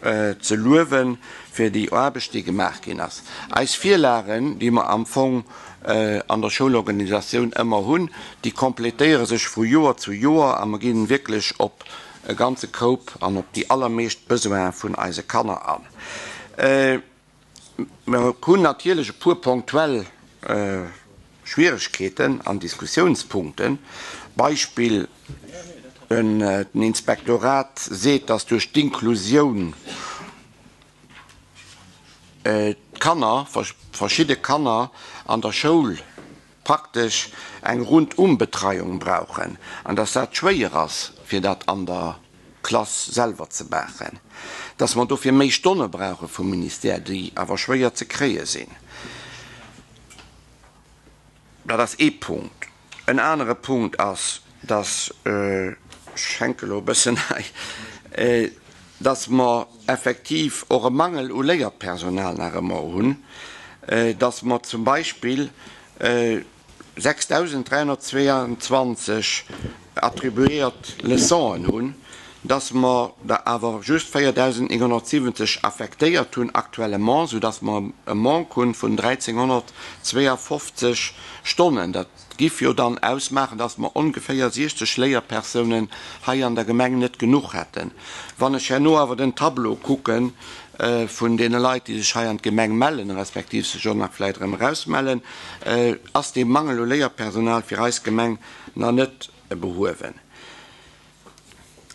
ze luewen fir déi Aarbecht, déi gemaach ginn ass. Eis Virlagen, déi mer am Fong an der Schoulorganisatioun ëmmer hunn, déi complétéiere sech vu Joer zu Joer a mer ginn wierklech op e ganze Koup an op déi allermeescht Besoine vun eise Kanner an. Mer hunn natierlech e puer ponktuell Schwieregkeeten an Diskussiounspunkten. Beispill, Den Inspektorat seet, dass duerch d'Inklusioun d'Kanner, verschidde Kanner an der Schoul praktesch eng Rundum-Betreiung brauchen an dass dat schwéier ass, fir dat an der Klass selwer ze maachen, dass mer dofir méi Stonne brauche vum Ministère, déi awer schwéier ze kréie sinn. Dat ass ee Punkt. En anere Punkt ass, dass, ech hänke elo e bëssen hei, dass mer effektiv och e Mangel u Léierpersonal nach ëmmer hunn, dass mer zum Beispill sechsdausenddräihunnertzweeandzwanzeg attribuéiert Leçonen hunn, dass mer der awer just véierdausendnénghonnertsiwwenzeg affektéiert hunn actuellement, soudass mer e Manque hunn vun dräizénghonnertzweeafofzeg Stonnen. Dat giff jo dann ausmaachen, dass mer ongeféier siechzeg Léierpersounen hei an der Gemeng net genuch hätten. Wann ech herno awer den Tableau kucke vun deene Leit, déi sech hei an d'Gemeng mellen, respektiv sech och nach vläicht erëm erausmellen, ass dee Mangel u Léierpersonal fir eis Gemeng nach net behuewen.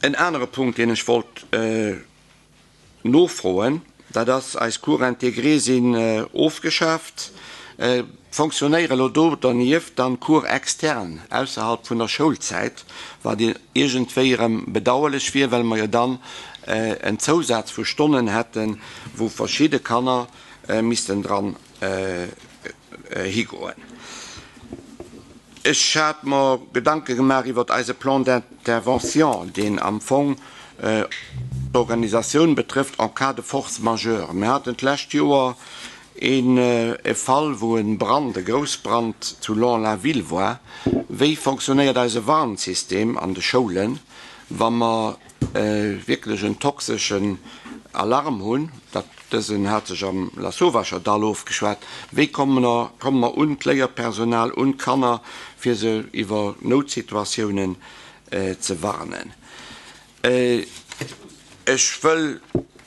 En anere Punkt, deen ech wollt nofroen, dat ass eis Cours intégrés sinn ofgeschaaft, fonctionnéiere lo do dernieft dann Cours externes ausserhalb vun der Schoulzäit, wat iergendwéi erëm bedauerlech wier, well mer jo dann en Zousaz vu Stonnen hätten, wou verschidde Kanner missten dran higoen. Ech hat mer Gedanke gemaach iwwert eise Plan d'intervention, deen am Fong d'Organisatioun betrëfft en cas de force majeure. Mir haten d'lescht Joer e Fall, wou e Brand, e Groussbrand zu Lens-la-Ville war. Wéi fonctionnéiert eise Warnsystem an de Schoulen, wa mer wierklech en toxeschen Alarm hunn? Dat, dësen hat sech am Lasauvacherdall ofgeschwat. Wéi komme mer, komme mer un d'Léierpersonal, un d'Kanner, fir se iwwer Noutsituatiounen ze warnen? Ech wëll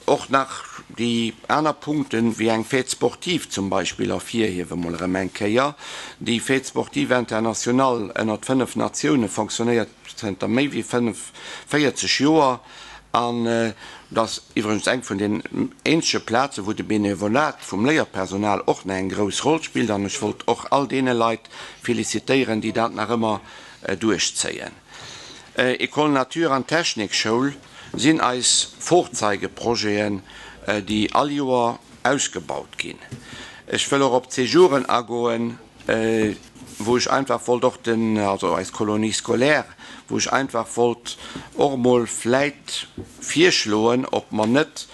och nach déi aner Punkten, wéi eng Fête sportive zum Beispill, ervirhiewen, mol erëm eng Kéier. Déi Fête sportive internationale ënnert fënnef Natioune fonctionnéiert zënter méi wéi fënnefvéierzeg Joer an dat ass iwwregens eng vun den eenzege Plazen, wou de Benevolat vum Léierpersonal och nach eng grouss Roll spillt an ech wollt och all deene Leit felicitéieren, déi dat nach ëmmer duerchzéien. École Nature an Technikschoul sinn eis Vorzeigeprojeten, déi all Joer ausgebaut ginn. Ech wëll och op d'Séjouren agoen, wou ech einfach wollt och den, also eis Colonie scolaire, wou ech einfach wollt och emol vläit virschloen, ob mer net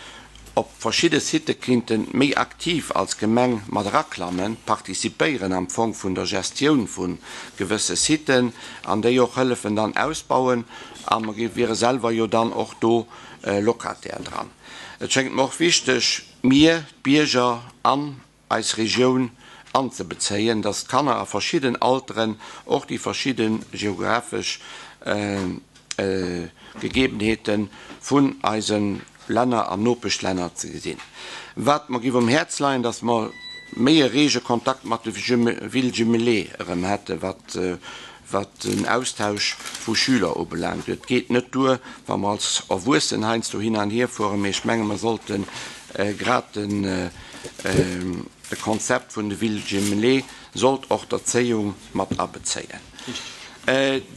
op verschidde Sitë kinnte méi aktiv als Gemeng mat eraklammen, participéieren am Fong vun der Gestioun vu gewësse Siten an déi och hëllefen dann ausbauen, a mer wiere selwer jo dann och do Locataire dran. Et schéngt mer och wichteg, mir, d'Bierger an eis Regioun anzebezéien, dass d'Kanner a verschidden Alteren och déi verschidde geographesch Gegebenheete vun eise Länner an Nopeschlänner ze gesinn. Wat mer géif um Häerz leien, dass mer méi e rege Kontakt mat de Villes jumelées erëm hätte wat wat den Austausch vu Schüler ubelaangt. Et geet net duer, wa mer als Erwuessen heiansdo hin an hier fueren, mee ech menge mer sollte grad den de Konzept vun de Villes jumelées sollt och d'Erzéiung mat abezéien.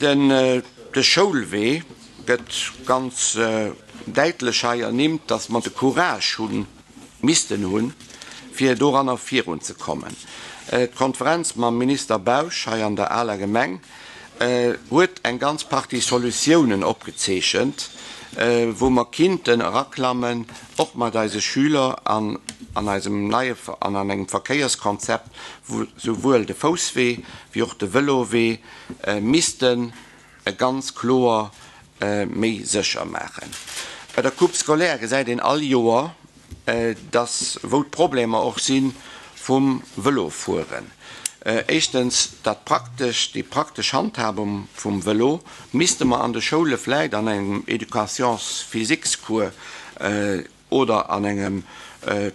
Den de Schoulwee gëtt ganz däitlech hei ernimmt, dass mer de Courage hunn, missten hunn, fir doranner virunzekommen. D'Konferenz mam Minister Bausch hei an der aler Gemeng huet eng ganz Partie Solutiounen opgezeechent, wou mer kinnten eraklammen, och mat eise Schüler an an eisem neie an an engem Verkéierskonzept, wou souwuel de Fousswee wéi och de Vëlowee missten ganz kloer méi sécher maachen. Bei der Coupe scolaire gesäit een all Joer, dass wou d'Problemer och si vum Vëlofueren. Éischtens dat praktesch, déi praktesch Handhabung vum Vëlo misste mer an de Schoule vläit an engem Éducations-physiques-Cours oder an engem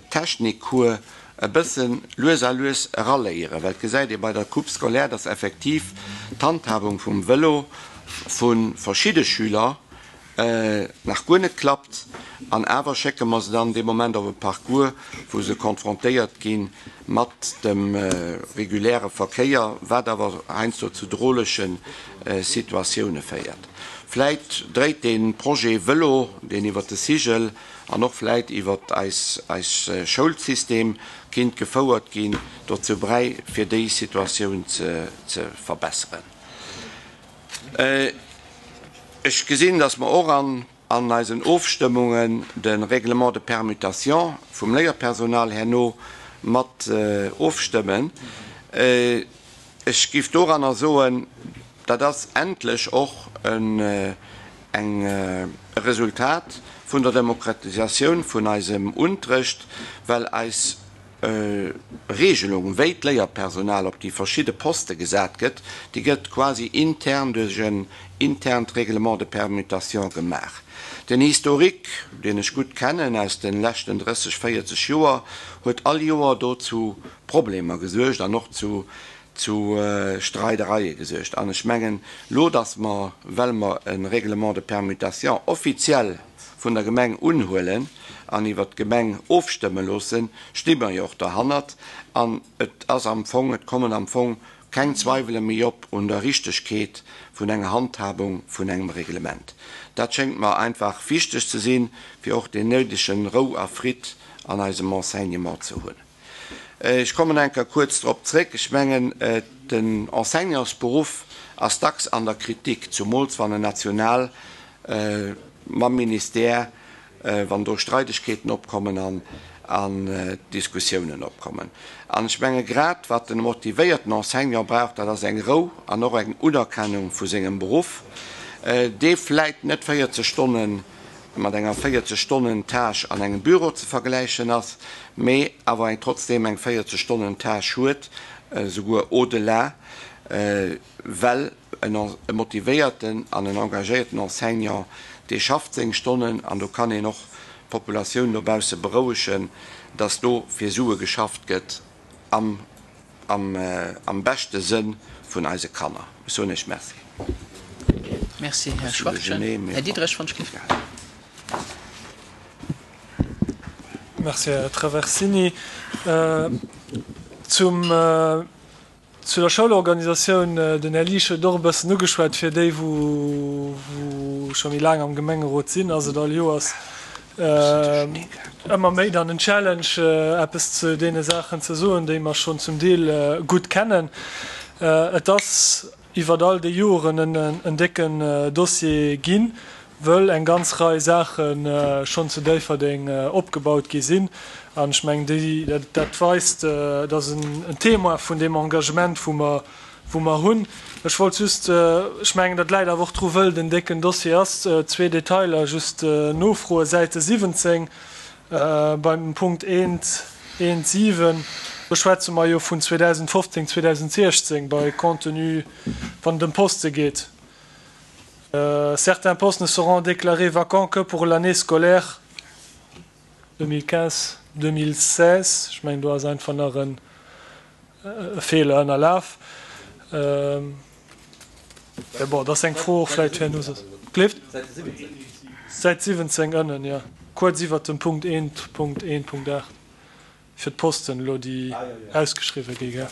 Technik-Cours e bësse lues a lues eraléieren, well et gesäit ee bei der Coupe scolaire, dass effektiv d'Handhabung vum Vëlo vu verschidde Schüler nach guer net klappt, an awer schécke mer se dann dee Moment op e Parcours, wou se konfrontéiert gi mat dem reguläre Verkéier, wat awer heiansdo zu drolege Situatioune féiert. Vläit dréit dee Projet Vëlo, deen iwwer de Cigl an och vläit iwwer eis eis Schoulsystem kinnt gefouert ginn, dozou bräi, fir déi Situatioun ze ze verbesseren. Ech gesinn, dass mer och an an eisen Ofstëmmungen de Règlement de permutation vum Léierpersonal herno mat ofstëmmen. Ech géif doranner soen, dat ass endlech och en eng e Resultat vun der Demokratisatioun vun eisem Unterrecht, well eis Regelung, wéi d'Léierpersonal op déi verschidde Poste gesat gëtt, déi gëtt quasi intern duerch en internt Règlement de permutation gemaach. Den Historique, deen ech gutt kennen aus de leschten drësseg, véierzeg Joer, huet all Joer do zu Problemer gesuergt an och zu zu Streidereie gesuergt. An ech mengen elo, datt mer, well mer e Règlement de permutation offiziell vun der Gemeng unhuelen an iwwert d'Gemeng ofstëmme loossen, sti mer jo och derhannert. An et ass am Fong, et kommen am Fong keng Zweiwele méi op un der Richtegkeet vun enger Handhabung vun engem Reglement. Dat schéngt mer einfach wichteg ze sinn, fir och deen néidegen Rou a Fridd an eisem Enseignement ze hunn. Ech kommen eng Kéier kuerz drop zréck. Ech mengen, den Enseignantsberuff ass dacks an der Kritik, zumools wann en national mam Ministère, wann do Streidegkeeten opkommen an an Diskussiounen opkommen. An ech menge grad, wat den motivéierten Enseignant brauch, dat ass eng Rou an och eng Unerkennung vu sengem Beruff, dee vläit net véierzeg Stonnen mat enger véierzeg Stonnen Tâche an engem Büro ze vergläichen ass, mee awer eng trotzdem eng véierzeg Stonnen Tâche huet, souguer au-delà, well e motivéierten an en engagéierten Enseignant, dee schafft seng Stonnen an do kann een och d'Populatioun dobausse berouegen, dass do fir Sue geschafft gëtt am am beschte Sënn vun eise Kanner. Ech soen Iech Merci. Merci, Här Schwachtgen. Här Diderich, wann ech géif. Merci, Här Traversini. Zum, zu der Schoulorganisatioun, den Här Liesch huet et och e bëssen ugeschwat, fir déi, wou, wou scho méi laang am Gemengerot sinn, ass et all Joers ëmmer méi dann en Challenge, eppes zu deene Saachen ze soen, déi mer schonn zum Deel gutt kennen. Et ass iwwert all déi Joren en décken Dossier ginn, wëll eng ganz Rei Saache schonn zu Déifferdeng opgebaut gi sinn. An ech mengen, déi, dat weist, dat ass en Témoin vun deem Engagement, wou mer, wou mer hunn. Ech wollt just, ech mengen, dat läit awer och dru wëll den décken Dossier ass, zwee Detailer just nofroen. Säite siwwenzéng beim Punkt eent, eent siwen, do schwätze mer jo vun zweedausendfofzéng, zweedausendsiechzéng bei Contenu, wann et ëm Poste geet. Certains postes ne seront déclarés vacants que pour l'année scolaire deux mille quinze deux mille seize. Ech mengen, do ass einfach nach e Feeler ënnerlaf. Mä bon, dat ass eng Fro och vläicht fir herno soss. Gleeft? Säit siwwenzéng ënnen, jo, kuerz iwwert dem Punkt eent Punkt eent Punkt aacht. Fir d'Posten elo, déi ausgeschriwwen gi, gell.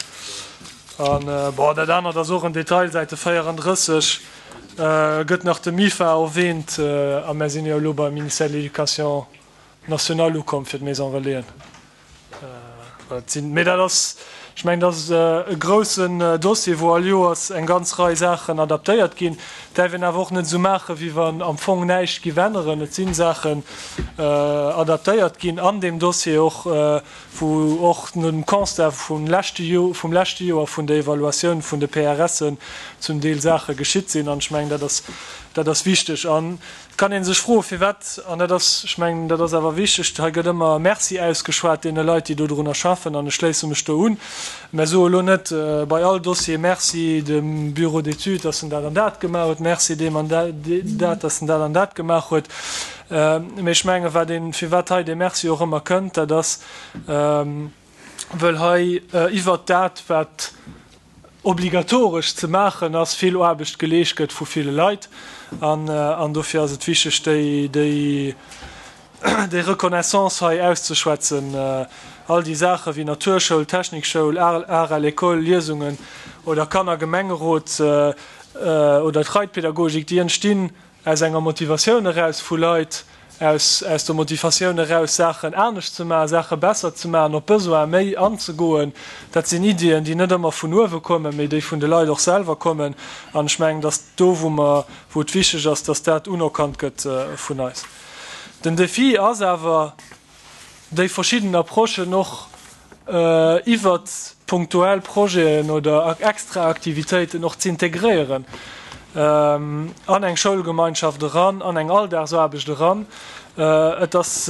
An, bon, dat anert ass och en Detail, Säite véierandrësseg gëtt nach de MIFA erwähnt, a mär sinn jo elo beim Ministère de l'Éducation nationale ukomm fir d'Maison Relaisen. Dat sinn, mee dat ass, ech mengen, dat ass e groussen Dossier, wou all Joers eng ganz Rei Saachen adaptéiert ginn. Et däerf een awer och net esou maachen, wéi wann am Fong näischt giff änneren. Et si Saachen adaptéiert ginn an deem Dossier och, wou och no dem Constat vum leschte vum leschte Joer vun der Evaluatioun vun de P R Sen zum Deel Saache geschitt sinn. An ech mengen, dat ass, dat ass wichteg. An et kann ee sech froen, firwat, an dat ass, ech mengen, dat ass awer wichteg, hei gëtt ëmmer Merci ausgeschwat deene Leit, déi dodrunner schaffen, an ech schléisse mech do un. Mä soe elo net bei all Dossier Merci dem Bureau d'études, dass en dat an dat gemaach huet, Merci deem an dat, dass en dat an dat gemaach huet. Mä ech menge wat een, firwat hei dee Merci och ëmmer kënnt, dat ass, wëll hei iwwert dat, wat obligatoresch ze maachen ass, vill Aarbecht geleescht gëtt vu ville Leit. An dofir ass et wichteg, déi, déi, déi Reconnaissance hei auszeschwätzen. All déi Saache wéi Naturschoul, Technikschoul, Art à l'école, Liesungen oder Kannergemengerot oder d'Reitpädagogik, déi entstinn aus enger Motivatioun eraus vu Leit, aus aus der Motivatioun eraus, Saachen anescht ze maachen, Saache besser ze maachen, op Besoin méi anzegoen. Dat sinn Iddien, déi net ëmmer vun uewe kommen, mee déi vun de Leit och selwer kommen. An ech mengen, dass do, wou mer, wou et wichteg ass, dass dat unerkannt gëtt vun eis. Den Défi ass awer, déi verschidden Approchen och iwwert punktuell Projeten oder extra Aktivitéiten och z'integréieren an eng Schoulgemeinschaft eran, an eng Alldagsaarbecht eran. Et ass,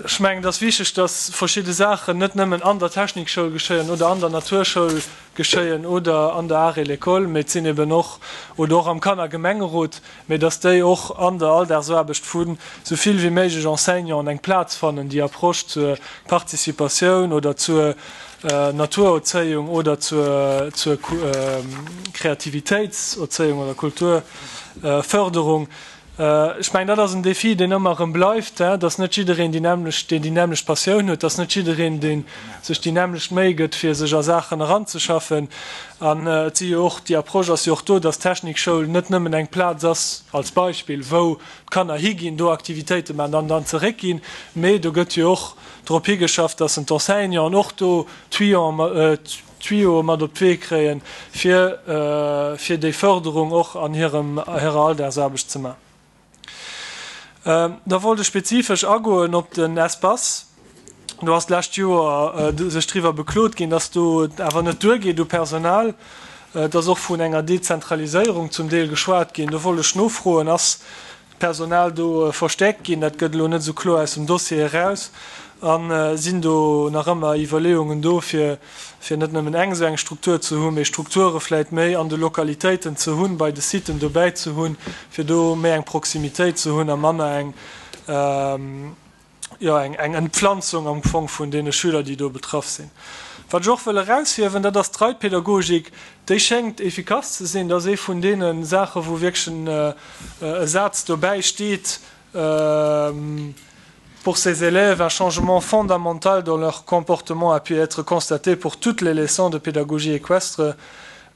ech mengen, et ass wichteg, dass verschidde Saachen net nëmmen an der Technikschoul geschéien oder an der Naturschoul geschéien oder an der Art et l'école, mee et sinn eben och, oder och am Kannergemengerot, mee dass déi och an der Alldagsaarbecht vu sou vill wéi méiglech Enseignanten eng Plaz fannen, déi Approche zur Participatioun oder zur Naturerzéiung oder zur zur Kreativitéitserzéiung oder Kulturförderung, Ech mengen, dat ass en Défi, deen ëmmer erëm bleift, dass net jiddereen déi nämmlecht, deen déi nämmlecht Passioun huet, dass net jiddereen, dee sech déi nämmlecht Méi gëtt, fir sech a Saachen eranzeschaffen. An et si jo och, déi Approche ass jo och do, dass d'Technikschoul net nëmmen eng Plaz ass, als Beispill, wou d'Kanner higinn, do Aktivitéite maachen an dann zeréckginn, mee do gëtt jo och drop higeschafft, dass d'Enseignanten och do Tuyauë mat op d'Wee kréien, fir fir déi Förderung och an hirem hirer Alldagsaarbecht ze maachen. Da wollt ech spezifesch agoen op den Espace. Do ass d'lescht Joer sech driwwer beklot ginn, dass do et awer net duergeet u Personal. Et ass och vun enger Dezentraliséierung zum Deel geschwat ginn. Do wollt ech nofroen, Ass d'Personal do verstäerkt ginn? Dat gëtt elo net esou kloer aus dem Dossier eraus. A sinn do nach ëmmer Iwwerleeungen do, fir fir net nëmmen eng esou eng Struktur ze hunn, mee Strukture vläicht méi an de Lokalitéiten ze hunn, bei de Siten dobäi ze hunn, fir do méi eng Proximitéit ze hunn a manner eng, jo, eng eng Entpflanzung am Fong vun deene Schüler, déi do betraff sinn. Wat ech och wëll eraushiewen, dat ass d'Reitpädagogik. Déi schéngt efficace ze sinn. Dat ass ee vun deene Saache wou wierklech en e Saz dobäi steet, Pour ces élèves, un changement fondamental dans leur comportement a pu être constaté pour toutes les leçons de pédagogie équestre,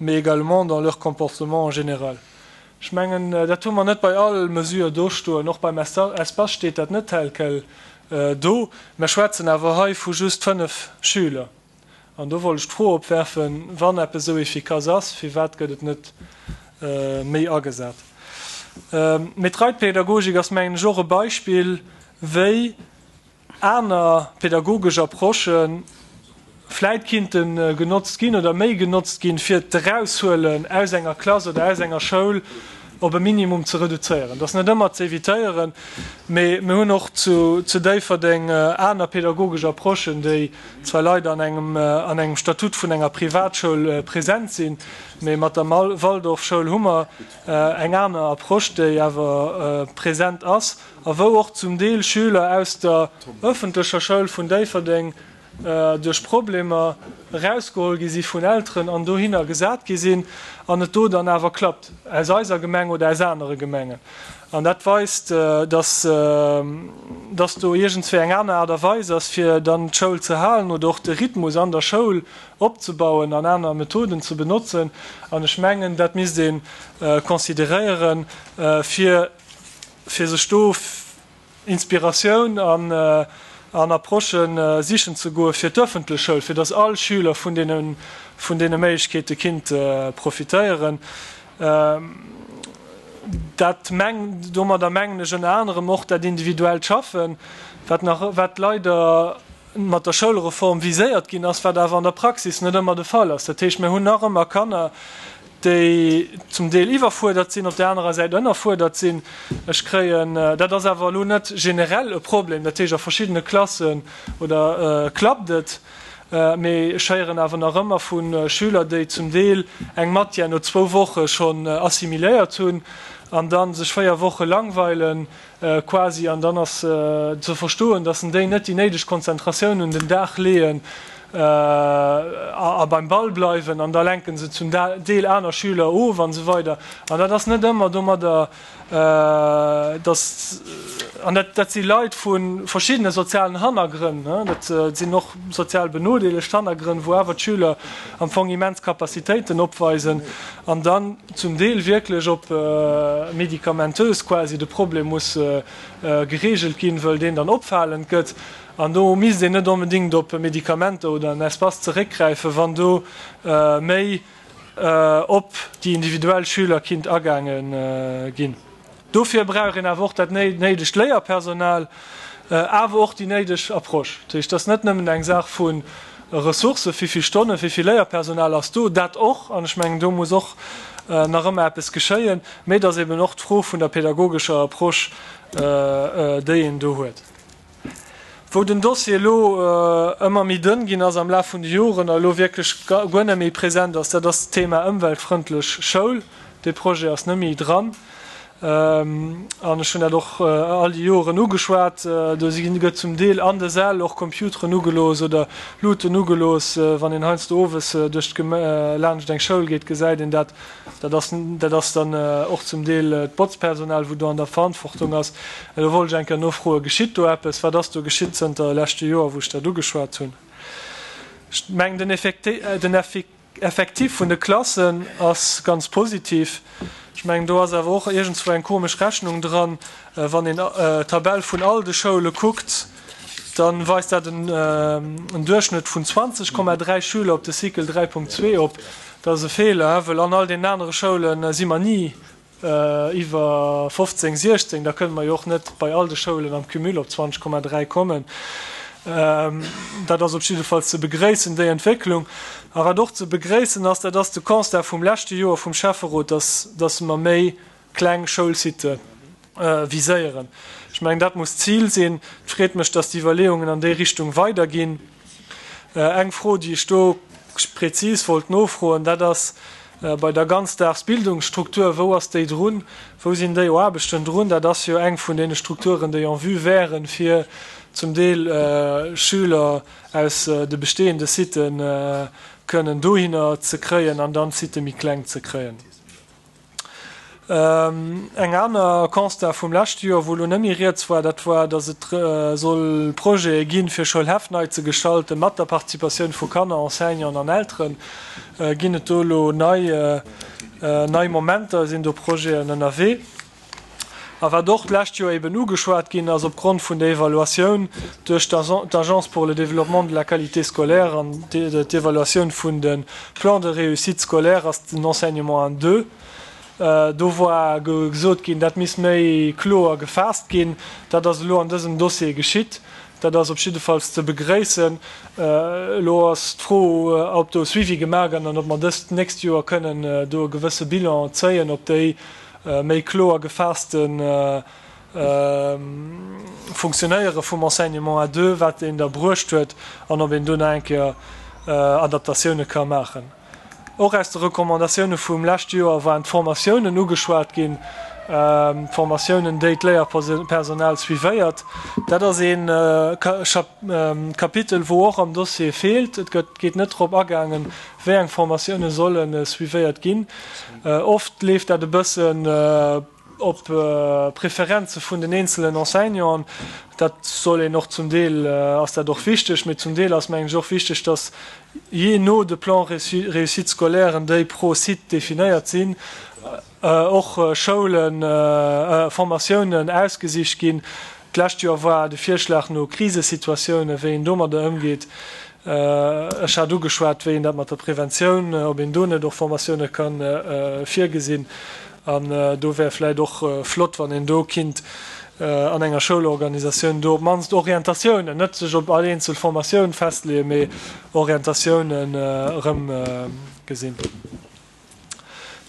mais également dans leur comportement en général. Ech mengen, dat hu mer net bei all Mesure do stoen. Och beim Espace steet dat net tel quel do. Mer schwätzen awer hei vu just fënnef Schüler. An do wollt ech d'Fro opwerfen, Wann eppes esou efficace ass, firwat gëtt et net méi agesat? Mee d'Reitpädagogik ass, mengen ech, och e Beispill, wéi aner pädagogesch Approchë vläit kinnte genotzt ginn oder méi genotzt ginn, fir d'Eraushuelen aus enger Klass oder aus enger Schoul op e Minimum ze reduzéieren. Dat ass net ëmmer ze evitéieren, mee mir hunn och zu Déifferdeng aner pädagogesch Approchen, déi zwar leider an engem an engem Statut vun enger Privatschoul present sinn, mee mat der Waldorfschoul hu mer eng aner Approche, déi awer present ass a wou och zum Deel Schüler aus der öffentlecher Schoul vun Déifferdeng duerch Problemer erausgeholl gi si vun Elteren an dohinner gesat gi sinn an et do dann awer klappt, aus eiser Gemeng oder aus anere Gemengen. An dat weist, dass dass do iergendswéi eng aner Aart a Weis ass, fir dann d'Schoul ze halen oder och de Rhythmus an der Schoul opzebauen an aner Methoden ze benotzen. An ech mengen, dat misst ee consideréieren, fir fir sech do Inspiratioun an an Approchë sichen ze goe fir d'ëffentlech Schoul, fir datt all Schüler vun deene vun deene Méiglechkeete kinnt profitéieren. Dat meng, domadder mengen ech ënner anerem och dat individuellt Schaffen, wat nach, wat leider mat der Schoulreform viséiert ginn ass, wat awer an der Praxis net ëmmer de Fall ass. Dat heescht, mir hunn nach ëmmer Kanner, déi zum Deel iwwerfuerdert sinn, op där anerer Säit ënnerfuerdert sinn. Ech kréien, dat ass awer elo net generell e Problem, dat heescht a verschiddene Klassen oder klappt et, mee ech héieren awer nach ëmmer vu Schüler, déi zum Deel eng Matière no zwou Woche schonn assimiléiert hunn an da sech véier Woche langweilen quasi, an dann ass ze verstoen, datt en déi net déi néideg Konzentratioun un den Dag leeën a beim Ball bleiwen an da lenke se zum Deel aner Schüler of an esou weider. An dat ass net ëmmer domadder, dass, an dat, dat si Leit vu verschiddene sozialen Hannergrënn, dat sinn och sozial benodeelegt Hannergrënn, wou awer d'Schüler am Fong immens Capacitéiten opweisen an dann zum Deel wierklech op medikamentös quasi de Problem muss geregelt ginn, wëll deen dann opfalend gëtt. An do misst een net onbedéngt op Medikamenter oder en Espace zeréckgräifen, wann do méi op déi individuell Schüler kinnt agaange ginn. Dofir brauch een awer och dat néidegt Léierpersonal, awer och déi néideg Approche. Dat heescht, et ass net nëmmen eng Saach vu Ressourcen, wéi vill Stonnen, wéi vill Léierpersonal ass do, dat och, an ech mengen, do muss och nach ëmmer eppes geschéien, mee et ass eben och d'Fro vun der pedagogescher Approche, déi een do huet. Wou den Dossier elo ëmmer méi dënn ginn ass am Laf vun de Joren a elo wierklech guer net méi present ass, dat ass d'Thema ëmweltfrëndlech Schoul. Dee Projet ass net méi dran. An ech hunn dat och all déi Joren ugeschwat, do si gëtt zum Deel an de Säll och Computeren ugelooss oder Luuten ugelooss. Wann een heiansdo owes duerch d'Geme laanscht eng Schoul geet, gesäit een dat. Dat ass, dat ass dann och zum Deel d'Botzpersonal, wou do an der Verantwortung ass. Do wollt ech eng Kéier nofroen, Geschitt do eppes? Wat ass do geschitt zënter leschte Joer, wou ech dat ugeschwat hunn? Ech mengen, den Effekte, den Effektif vun de Klassen ass ganz positiv. Ech mengen, do ass awer och iergendswou eng komesch Rechnung dran. Wann een d'Tabell vun all de Schoule kuckt, da weist dat en Duerchschnëtt vun zwanzeg Komma dräi Schüler op de Cycle dräi Punkt zwee op. Dat ass e Feeler, well an all deenen anere Schoule si mer ni iwwer fofzéng, siechzéng. Da kënne mer jo och net bei all de Schoulen am Cumul op zwanzeg Komma dräi kommen. Dat ass op jidde Fall ze begréissen, déi Entwécklung. A wat och ze begréissen ass, dat ass de Constat vum leschte Joer vum Schäfferot, dass, dass mer méi kleng Schoulsitte viséieren. Ech mengen, dat muss d'Zil sinn. Et freet mech, dass d'Iwwerleeungen an déi Richtung weiderginn. Eng Fro, déi ech do prezis wollt nofroen, dat ass bei der Ganzdagsbildungsstruktur, Wou ass déi drun? Wou sinn déi Aarbechten drun? Dat ass jo eng vun deene Strukturen, déi en vue wären, fir zum Deel Schüler aus de bestehende Sitë kënnen dohinner ze kréien an dann d'Sitë méi kleng ze kréien. Eng aner Constat vum leschte Joer, wou elo net méi rieds war, dat war, datt et soll Projete ginn, fir Schoulhäff nei ze gestalten, mat der Participatioun vu Kanner, Enseignanten an Elteren. Ginn et do elo nei, nei Momenter? Sinn do Projeten ënnerwee? A wat och d'lescht Joer eben ugeschwat ginn ass opgrond vun der Evaluatioun duerch d'Agence pour le développement de la qualité scolaire an d'Evaluatioun vun de Plans de réussite scolaire, ass den Enseignement à deux. Do war gesot ginn, dat misst méi kloer gefaasst ginn. Dat ass elo an dësem Dossier geschitt. Dat ass op jiddefalls ze begréissen. Elo ass d'Fro, ob do e Suivi gemaach gëtt an ob mer dëst nächst Joer kënnen do e gewësse Bilan zéien, ob déi méi kloer gefaasste Funktionéiere vum Enseignement à deux, wat een da bruecht huet, an ob een do nach eng Kéier Adaptatioune ka maachen. Och aus de Recommandatioune vum leschte Joer waren d'Formatiounen ugeschwat ginn, d'Formatiounen, déi d'Léierpersonal suivéiert. Dat ass ee Kapitel, wou och am Dossier feelt. Et gëtt, geet net drop agaangen, wéi eng Formatioune solle suivéiert ginn. Oft leeft dat e bëssen op Preferenze vun den eenzelen Enseignanten. Dat soll een och, zum Deel ass dat och wichteg, mee zum Deel ass, mengen ech, och wichteg, dass jee no de Plans réussite scolairen, déi pro Site definéiert sinn, och Schoulen, Formatiounen ausgesicht ginn. D'lescht Joer war de Virschlag no Krisesituatiounen, wéi een domadder ëmgeet. Ech hat ugeschwat, wéi een dat mat der Preventioun, ob een do net och Formatioune ka virgesinn. An do wär vläicht och flott, wann een do kinnt an enger Schoulorganisatioun do op d'mannst Orientatiounen, net sech op all eenzel Formatioun festleeën, mee Orientatiounen erëm gesinn.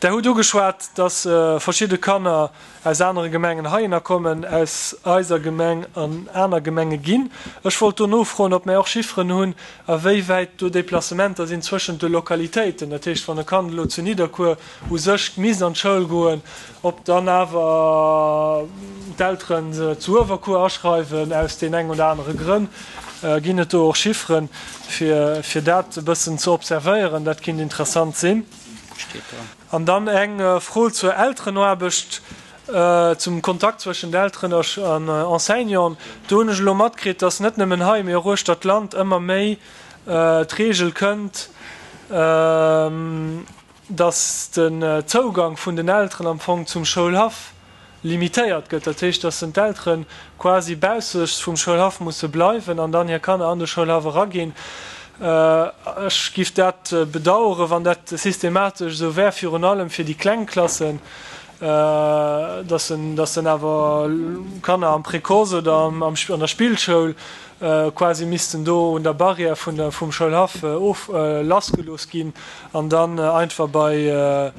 Der hutt ugeschwat, dass verschidde Kanner aus anere Gemengen heihinner kommen, aus eiser Gemeng an aner Gemenge ginn. Ech wollt do nofroen, ob mär och Chifferen hunn, a wéi wäit do Déplacementer sinn zwëschent de Lokalitéiten. Dat heescht, wann e Kand elo zu Nidderkuer u sech misst an d'Schoul goen, ob dann awer d'Elteren se zu Uewerkuer aschreiwen, aus deen eng oder anere Grënn. Ginn et do och Chifferen, fir dat e bëssen ze observéieren? Dat kinnt interessant sinn. An dann eng Fro zur Elterenaarbecht, zum Kontakt zwëschent Elteren an Enseignanten. Do hunn ech elo matkritt, dass net nëmmen hei, mee och uechter d'Land ëmmer méi d'Reegel kënnt, dass den Zougang vun den Elteren am Fong zum Schoulhaff limitéiert gëtt. Dat heescht, dass d'Eltere quasi baussech vum Schoulhaff musse bleiwen an dann hir Kanner an de Schoulhaff eraginn. Ech giff dat bedaueren, wann dat systematesch esou wär, virun allem fir déi kleng Klassen, dass dann awer Kanner am Précoce oder an der Spillschoul quasi missten do un der Barrière vum Schoulhaff of lassgelooss ginn an dann einfach bei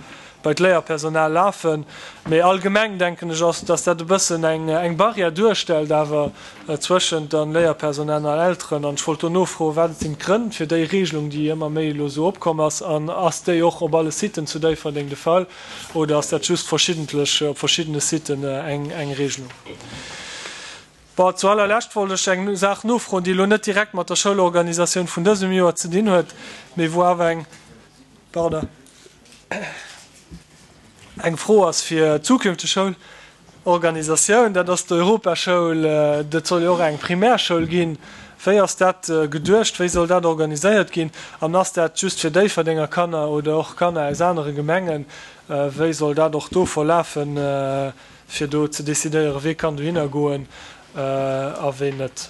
bei d'Léierpersonal lafen. Mee allgemeng denken ech ass, dass dat e bëssen eng eng Barrière duerstellt awer zwëschent dann Léierpersonal an Elteren. An ech wollt do nofroen, wat sinn d'Grënn fir déi Regelung, déi ëmmer méi elo esou opkomm ass, an ass déi och op alle Siten zu Déifferdeng de Fall oder ass dat just verschiddentlech op verschiddene Siten eng eng Regelung? Bon, zu allerlescht wollt ech eng Saach nofroen, déi elo net direkt mat der Schoulorganisatioun vun dësem Joer ze dinn huet, mee wou awer eng, pardon, eng Fro ass fir d'zukünfteg Schoulorganisatioun, dat ass d'Europaschoul. Dat soll jo och eng Primärschoul ginn. Wéi ass dat geduecht? Wéi soll dat organiséiert ginn? An ass dat just fir Déifferdenger Kanner oder och Kanner aus anere Gemengen? Wéi soll dat och do verlafen, fir do ze decidéieren, wee kann dohinner goen a ween net?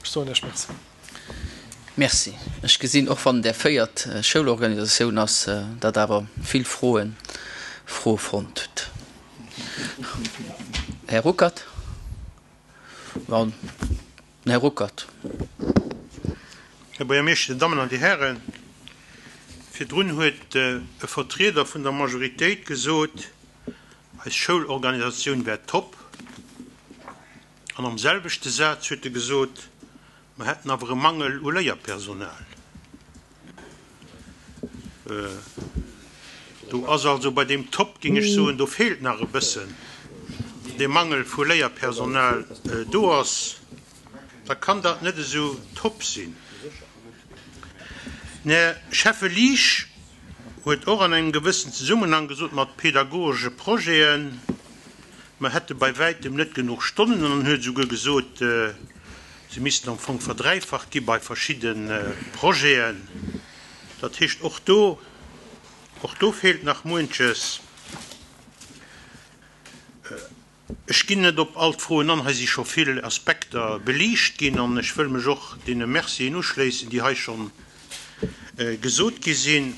Ech soen Iech Merci. Merci. Ech gesinn, och wann et Är véiert Schoulorganisatioun ass, datt awer vill Froen Froe fonnt hutt. Här Ruckert. Den Här Ruckert. Här Buergermeeschter, Dir Dammen an Dir Hären, virdrun huet e Vertrieder vun der Majoritéit gesot, eis Schoulorganisatioun wär top. An am selwechte Saz huet e gesot, mer hätten awer e Mangel u Léierpersonal. Do ass also bei deem top, géing ech soen, do feelt nach e bëssen, dee Mangel vu Léierpersonal do ass, da kann dat net esou top sinn. Den Här Schäffe Liesch huet och an engem gewëssen Zesummenhang gesot mat pedagogesche Projeten, mer hätte bei wäitem net genuch Stonnen an huet esouguer gesot, se missten am Fong verdräifacht gi bei verschidde Projeten. Dat heescht, och do, och do feelt nach muenches. Ech ginn net op all d'Froen an, hei si scho vill Aspekter beliicht ginn an ech wëll mech och deene Mercien uschléissen, déi hei scho gesot gi sinn.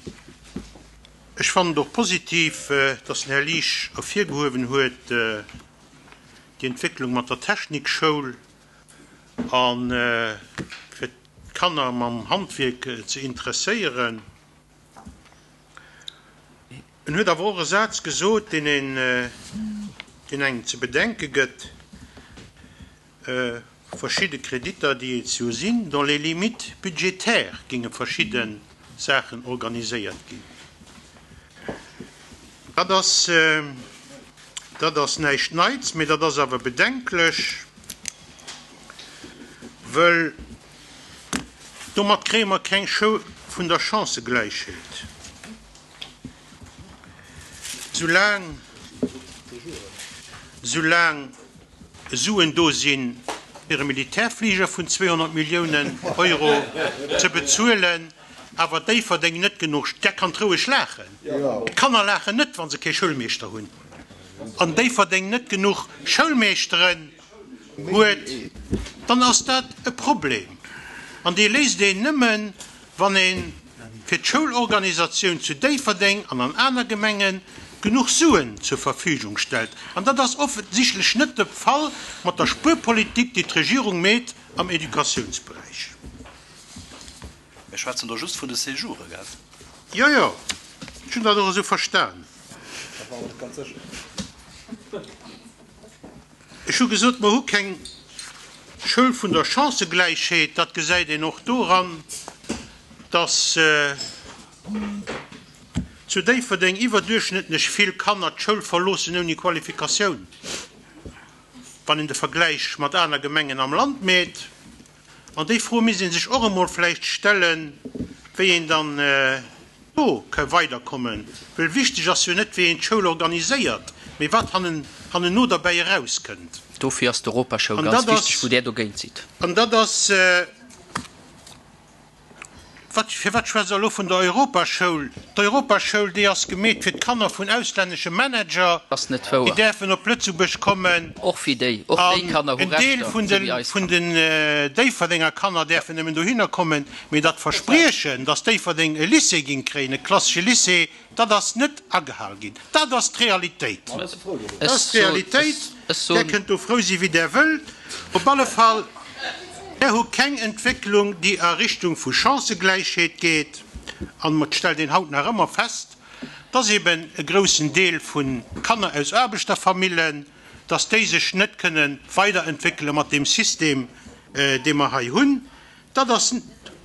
Ech fannen et och positiv, dass den Här Liesch ervirgehuewen huet, déi Entwécklung mat der Technikschoul a fir d'Kanner mam Handwierk ze interesséieren. En huet awer och e Saz gesot, deen een, deen engem ze bedenke gëtt, Verschidde Kreditter, déi et jo sinn, dans les limites budgétaires géinge verschidde Saachen organiséiert ginn. Dat ass, dat ass näischt Neits, mee dat ass awer bedenklech, wëll domat kréie mer keng Schoul vun der Chancëgläichheet. Soulaang, soulaang Suen do sinn, fir e Militärfliger vun zweehonnert Milliounen Euro ze bezuelen, awer Déifferdeng net genuch, där kann roueg laachen, d'Kanner laachen net, wa se kee Schoulmeeschter hunn, an Déifferdeng net genuch Schoulmeeschteren huet, dann ass dat e Problem. An dee léist een nëmmen, wann ee fir d'Schoulorganisatioun zu Déifferdeng an an aner Gemenge genuch Suen zur Verfügung stellt. An dat ass offensichtlech net de Fall mat der Spuerpolitik, déi d'Regierung meet am Educatiounsberäich. Mir schwätzen do just vun de Séjoure, gell? Jo, jo, ech hunn dat och esou verstan. Dat war mer net ganz sécher. Ech hu gesot, mer hu keng Schoul vun der Chancëgläichheet. Dat gesäit een och doran, dass zu Déifferdeng iwwerduerchschnëttlech vill Kanner d'Schoul verloossen ouni Qualifikatioun, wann een de Vergläich mat aner Gemengen am Land meet. An déi Fro misst ee sech och emol vläicht stellen, wéi een dann do ka weiderkommen. Well wichteg ass jo net, wéi een d'Schoul organiséiert, mee wat hannenno derbäi erauskënnt. Dofir ass d'Europaschoul An ganz dat wichteg, ass, wou Där dogéint sidd. an dat ass, Wat, firwat schwätzt Der elo vun der Europaschoul? D'Europaschoul, déi ass gemeet fir d'Kanner vun auslännesche Manager, Ass net déi wouer. däerfen op Lëtzebuerg kommen. Och fir déi. Och déi An Kanner hu en Deel Rechter, vun esou wéi de, eis vun Kanner. den Déifferdenger Kanner däerfen nëmmen dohinner kommen. Mee dat Verspriechen, dass Déifferdeng e Lycée géing kréien, e klassesche Lycée, dat ass net agehal ginn. Dat ass d'Realitéit. Dat Ech ass soen, d'Realitéit. ech Där soen. kënnt do frou si wéi Der wëllt. Op alle Fall. Mär hu keng Entwécklung, déi a Richtung vu Chancëgläichheet geet, an et stellt een haut nach ëmmer fest, dass eben e groussen Deel vu Kanner aus Aarbechterfamillen, dass déi sech net kënne weiderentwéckele mat deem System, dee mer hei hunn. Dat ass,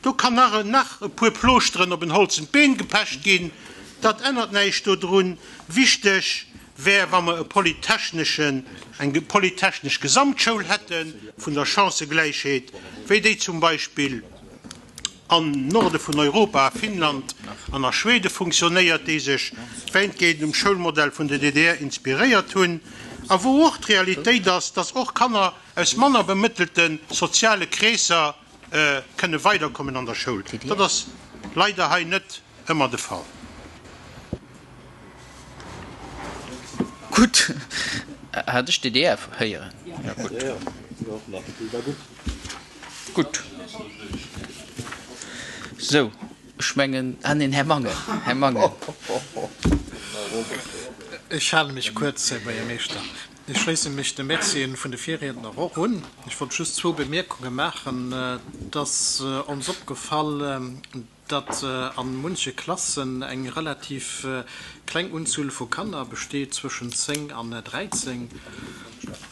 do kann nach, nach e puer Plooschteren op en holzent Been gepecht ginn, dat ännert näischt dodrun. Wichteg wär, wa mer e polytechneschen, eng polytechnesch Gesamtschoul hätte vun der Chancëgläichheet, wéi déi zum Beispill am Norde vun Europa, a Finnland an a Schwede funktionéiert, déi sech wäitgehend um Schoulmodell vun der D D R inspiréiert hunn, a wou och d'Realitéit ass, dass och Kanner aus manner bemëttelte soziale Kreesser kënne weiderkommen an der Schoul. Dat ass leider hei net ëmmer de Fall. Gutt, hat ech D D R héieren? Ja, gutt. Gutt. Sou, ech mengen, ah neen, Här Mangen, Här Mangen. Ech hale mech kuerz, Här Buergermeeschter. Ech schléisse mech de Mercien vun de Virriedner och un. Ech wollt just zwou Bemierkunge maachen. Et ass ons opgefall, datt a munche Klassen eng relativ kleng Unzuel vu Kanner besteet, zwëschen zéng an dräizéng.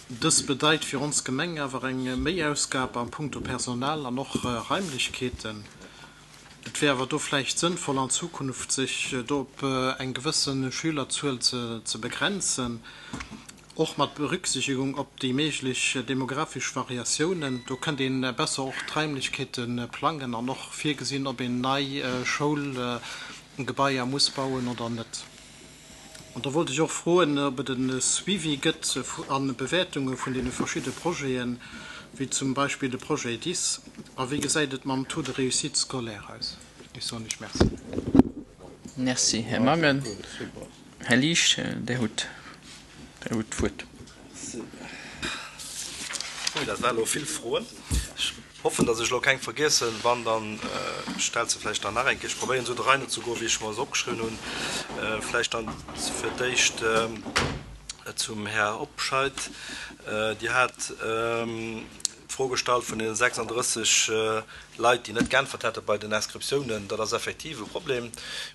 Dës bedeit fir ons Gemeng awer eng Méiausgab a puncto Personal an och Raimlechkeeten. Et wär awer do vläicht sënnvoll an Zukunft sech do op eng gewësse Schülerzuel ze begrenzen, och mat Berücksichtigung op déi méiglech demographesch Variatiounen. Do kënnt een besser och d'Raimlechkeete plangen an och virgesinn, ob een nei Schoulgebaier muss bauen oder net. An da wollt ech och froen, ob et e Suivi gëtt a Bewäertunge vun deene verschidde Projeten, wéi zum Beispill de Projet D I S, a wéi gesäit et mam Taux de réussite scolaire aus? Ech soen lech Merci. Merci, Här Mangen. Här Liesch, Dir hutt d'Wuert. Ui, dat war elo vill Froen. Ech hoffen, datt ech elo keng vergiessen. Wann, da stellt se vläicht dann nach eng Kéier. Ech probéieren esou der Rei no ze goen, wéi ech mer se opgeschriwwen hunn. Vläicht dann fir d'éischt zum Här Obscheid. Dir hat d'Fro gestallt vun deene sechsandrësseg Leit, déi net geäntwert hätte bei den Inscriptiounen. Dat ass effektiv e Problem.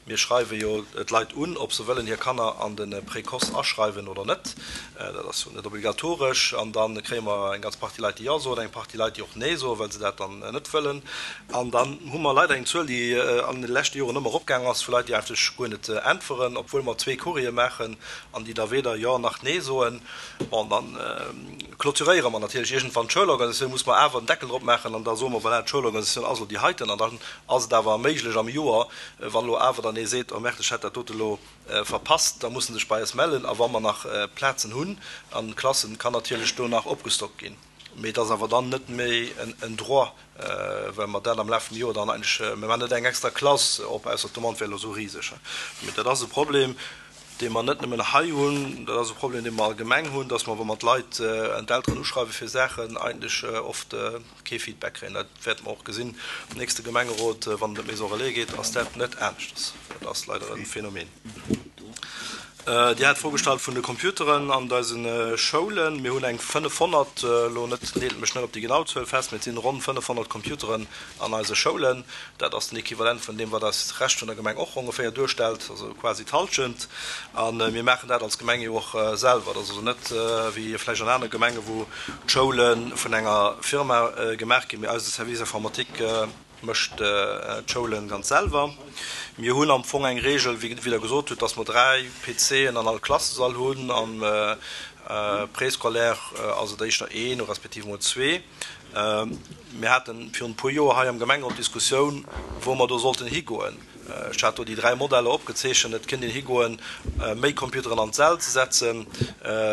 Mir schreiwe jo d'Leit un, ob se wëllen hir Kanner an de Précoce aschreiwen oder net. Dat ass jo net obligatoresch. An da kréie mer eng ganz Partie Leit, déi Jo soen, eng Partie Leit, déi och Nee soen, well se dat dann net wëllen. An dann hu mer leider eng Zuel, déi an de leschte Joren ëmmer eropgaangen ass, vu Leit, déi eigentlech guer net äntweren, obwuel mer zwee Courriere maachen an déi da weder Jo nach Nee soen. Bon, dann clôturéiere mer natierlech iergendwann d'Schoulorganisatioun, muss mer awer en Deckel drop maachen an da soe mer, voilà, d'Schoulorganisatioun ass elo déi heiten. An dann ass et awer méiglech am Joer, wann elo awer dann ee seet, oh merde, ech hätt dat dote elo verpasst, da muss en sech bei eis mellen. A wa mer nach Plazen hunn an Klassen, kann natierlech do nach opgestockt ginn. Mee et ass awer dann net méi en Droit, well mer dat am Laf vum Joer dann eigentlech, mir maachen net eng extra Klass op, ausser d'Demande wär elo esou riseg. Mee dat ass e Problem, dee mer net nëmmen hei hunn, dat ass e Problem, dee mer allgemeng hunn, dass mer, wa mer d'Leit an d'Elteren uschreiwe fir Saachen, eigentlech oft kee Feedback kréien. Dat wäerte mer och gesinn am nächste Gemengerot, wann et ëm d'Maison relais geet, ass dat net aneschters. Dat ass leider e Phänomen. Dir hat d'Fro gestallt vun de Computeren an eise Schoulen. Mir hunn eng fënnefhonnert, elo net, neelt mech net op déi genau Zuel fest, mee et sinn ronn fënnefhonnert Computeren an eise Schoulen. Dat ass den Equivalent vun deem, wat eis Rescht vun der Gemeng och ongeféier duerstellt, also quasi d'Hallschent. A mir maachen dat als Gemeng jo och selwer. Dat ass also net wéi vläicht an anere Gemengen, wou d'Schoule vun enger Firma gemaach ginn, mee eise Service informatique mécht d'Schoulen ganz selwer. Mir hunn am Fong eng Regel, wéi Der gesot hutt, dass mer dräi P C'en an all Klassesall hunn. Am Préscolaire ass et éischter een respektiv emol zwee. Mir hate virun e puer Joer hei am Gemengerot d'Diskussioun, wou mer do sollten higoen. Ech hat do déi dräi Modeller opgezeechent. Et kéint een higoen, méi Computeren an d'Säll ze setzen.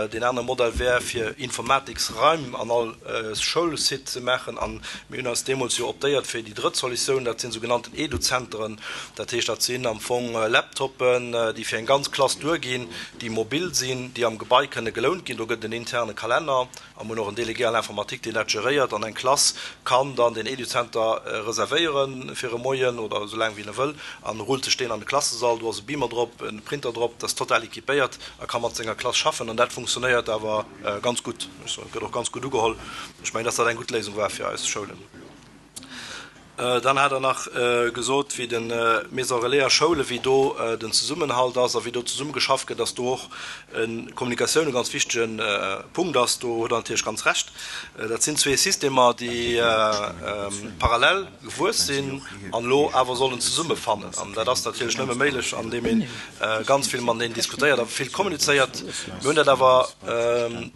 Deen anere Modell wär, fir Informatiksraim an all Schoulsite ze maachen. A mir hunn eis deemools jo optéiert fir déi drëtt Solutioun, dat sinn sougenannten Eduzenteren. Dat heescht, dat sinn am Fong Laptoppen, déi fir eng ganz Klass duerginn, déi mobil sinn, déi am Gebai kënne gelount ginn. Do gëtt et en interne Kalenner. A mir hunn och en Délégué à l'informatique, deen dat geréiert. An eng Klass kann dann deen Educenter reservéiere fir e Moien oder esou laang wéi en e wëll an rullt sech deen an de Klassesall. Do ass e Beamer drop, e Printer drop, dat ass total équipéiert a ka mat senger Klass schaffen. An dat funktionéiert awer ganz gutt. Ech soen, et gëtt och ganz gutt ugeholl. Ech mengen, dass dat eng gutt Léisung war fir eis Schoulen. Dann hat Der nach gesot, wéi de Maison relais a Schoule, wéi do den Zesummenhalt ass a wéi do zesummegeschafft gëtt, dass do och Kommunikatioun e ganz wichtege Punkt ass. Do hutt Der natierlech ganz Recht. Dat sinn zwee Systemer, déi parallel gewuess sinn an elo awer sollen zesummefannen. An dat ass natierlech nëmme méiglech, andeem ee ganz vill mateneen diskutéiert a vill kommunizéiert. Mir hunn dat awer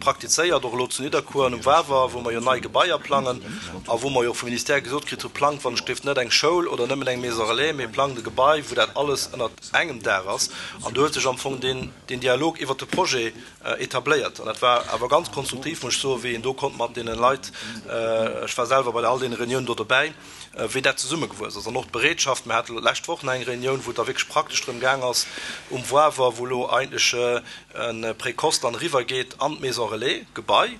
praktizéiert, och elo zu Nidderkuer an um Wawer, wou mer jo nei Gebaier plangen a wou mer jo och vum Ministère gesot kritt hu, Plangt wann ech gelift net eng Schoul oder nëmmen eng Maison relais, mee plangt e Gebai, wou dat alles ënnert engem Daach ass. An do huet sech am Fong deen Dialog iwwert de Projet etabléiert. An dat war awer ganz konstruktiv, muss ech soen, wéi een do konnt mat deene Leit, ech war selwer bei all deene Reuniounen do dobäi, wéi dat zesummegewuess ass. An och d'Bereetschaft, mir hate lo d'lescht Woch nach eng Reunioun, wou et da wierklech praktesch drëm gaang ass, um Wawer, wou elo eigentlech e Précoce dann eriwwergeet an d'Maison relais Gebai,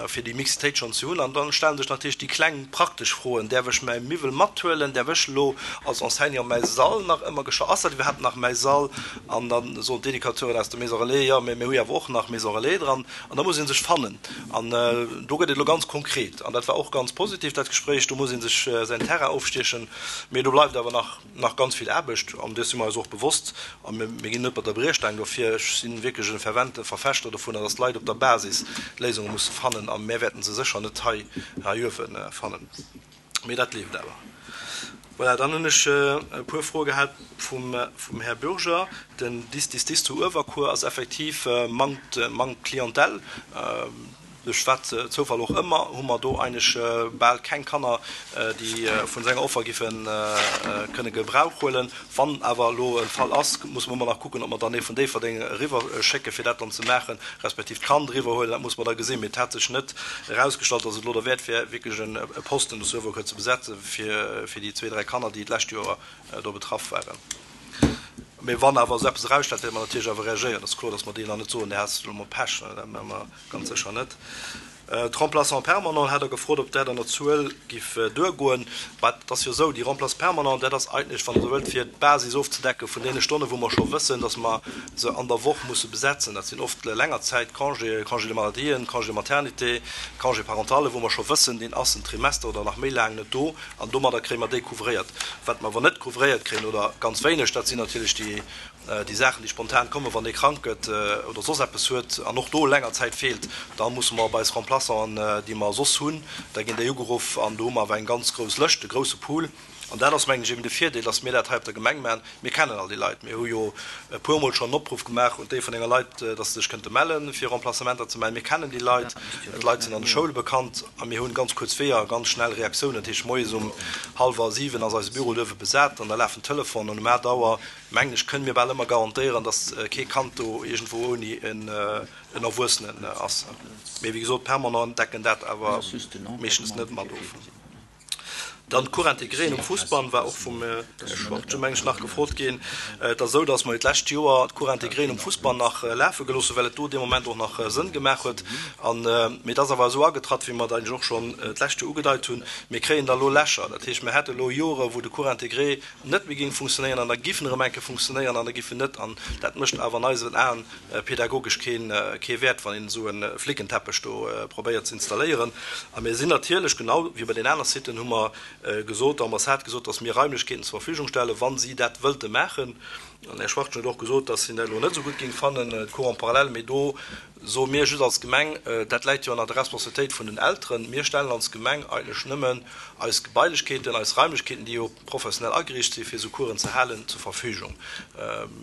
fir déi Mixitéit schonn ze hunn. An da stelle sech natierlech déi kleng praktesch Froen, Däerf ech mäi Miwwel mathuelen? Däerf ech elo als Enseignant mäi Sall nach ëmmer gescha-, ass dat iwwerhaapt nach mäi Sall? An da soen d'Educateuren aus der Maison relais, Jo, mä mir hu jo awer och nach Maison relais dran. An da muss ee sech fannen. An do gëtt et elo ganz konkret. An dat war och ganz positiv, dat Gespréich. Do muss ee sech säin Terrain ofstiechen. Mee do bleift awer nach, nach ganz vill Aarbecht. An dees si mer eis och bewosst. A mir ginn net mat der Briechstaang dofir. Ech si wierklech e fervente Verfechter dovunner, dass d'Leit op der Basis d'Léisunge musse fannen. A mir wäerten se sécher net hei, hei uewe fannen. Mee dat leeft awer. Voilà, dann hunn ech e puer Froe gehat vum, vum Här Bürger. Den Dis, Dis, Dis zu Uewerkuer ass effektiv, mangt, mangt Clientèle. Duerch wat Zoufall och ëmmer, hu mer do eigentlech bal keng Kanner, déi vun senger Offer giffe kënne Gebrauch huelen. Wann awer elo e Fall ass, musse mer ëmmer nach kucken, ob mer dann ee vun Déifferdeng eriwwer schécke fir dat dann ze maachen, respektiv d'Kand eriwwer huelen. Dat musse mer da gesinn. Mee et hat sech net erausgestallt, datt et elo derwäert wär, wierklech e Posten do zu Uewerkuer ze besetze fir déi zwee, dräi Kanner, déi d'lescht Joer do betraff waren. Mee wann awer esou eppes erausstellt, wäerte mer natierlech awer reagéieren. Et ass kloer, datt mer deenen dann net soen, Dir hat elo mol Pech. Dat maache mer ganz sécher net. D'Remplaçants permanents hat Der gefrot, ob dat an der Zuel giff duergoen. Mä et ass jo esou, déi Remplaçants permanents, dat ass eigentlech, wann Der esou wëllt, fir d'Basis ofzedecke vun deene Stonnen, wou mer scho wëssen, datt mer se an der Woch musse besetzen. Dat sinn oft Längerzäitcongéen, Congé de maladien, Congé de maternité, Congé parentale, wou mer scho wëssen, deen ass en Trimester oder nach méi laang net do. An domadder kréie mer déi couvréiert. Wat mer awer net couvréiert kréien, oder ganz wéineg, dat sinn natierlech déi, déi Saachen, déi spontan kommen, wann ee krank gëtt oder soss eppes huet an och do länger Zäit feelt. Da musse mer op eis Remplaçanten, déi mer soss hunn, da ginn déi ugeruff. An do hu mer awer eng ganz grouss Lëscht, e grousse Pool. An dat ass, mengen ech, eben de Virdeel, dass mir dat hei op der Gemeng maachen. Mir kennen all déi Leit. Mir hu jo e puermol schonn en Opruff gemaach un d'Déifferdenger Leit, dass se sech kënnte mellen, fir Remplacementer ze maachen. Mir kennen déi Leit. D'Leit sinn an de Schoule bekannt a mir hunn ganz kuerz Weeër a ganz schnell Reaktiounen. Dat heescht, moies um hallwer siwen ass eise Büro duerwe besat an da lafen d'Telefonen. An um aacht Auer, mengen ech, kënne mir bal ëmmer garantéieren, dass kee Kand do iergendwou ouni en Erwuessenen ass. Mee wéi gesot, permanent decken dat awer meeschtens net mat of. Dann d'Cours intégréen um Fussbann war och vum Här Schwachtgen, meng ech, nach gefrot ginn. Et ass esou, dass mer jo d'lescht Joer d'Cours intégréen um Fussbann nach lafe gelooss hunn, well et do dee Moment och nach Sënn gemaach huet. An, mee et ass awer esou agetratt, wéi mer et eigentlech och schonn d'lescht Joer ugedeit hunn, mir kréien da elo Lächer. Dat heescht, mir hätte elo Jore wou de Cours intégré net méi géing funktionéieren an da giff en erëm eng Kéier funktionéieren an da giff en net. An dat mécht awer an eisen Aen pädagogesch kee Wäert, wann een esou e Flickenteppech do probéiert ze installéieren. A mir sinn natierlech, genau wéi bei den aner Siten, hu mer gesot, der Ambassade gesot, dass mir Raimlechkeeten zur Verfügung stellen, wa si dat wëllte maachen. An Här Schwachtgen huet och gesot, dass hien dat elo net esou gutt géing fannen, d'Cours en parallèle. Mee do soe mir just als Gemeng, dat läit jo ënner der Responsabilitéit vun den Elteren, mir stellen als Gemeng eigentlech nëmmen eis Gebailechkeeten, eis Raimlechkeeten, déi jo professionell ageriicht sinn, fir esou Coursen ze halen, zur Verfügung.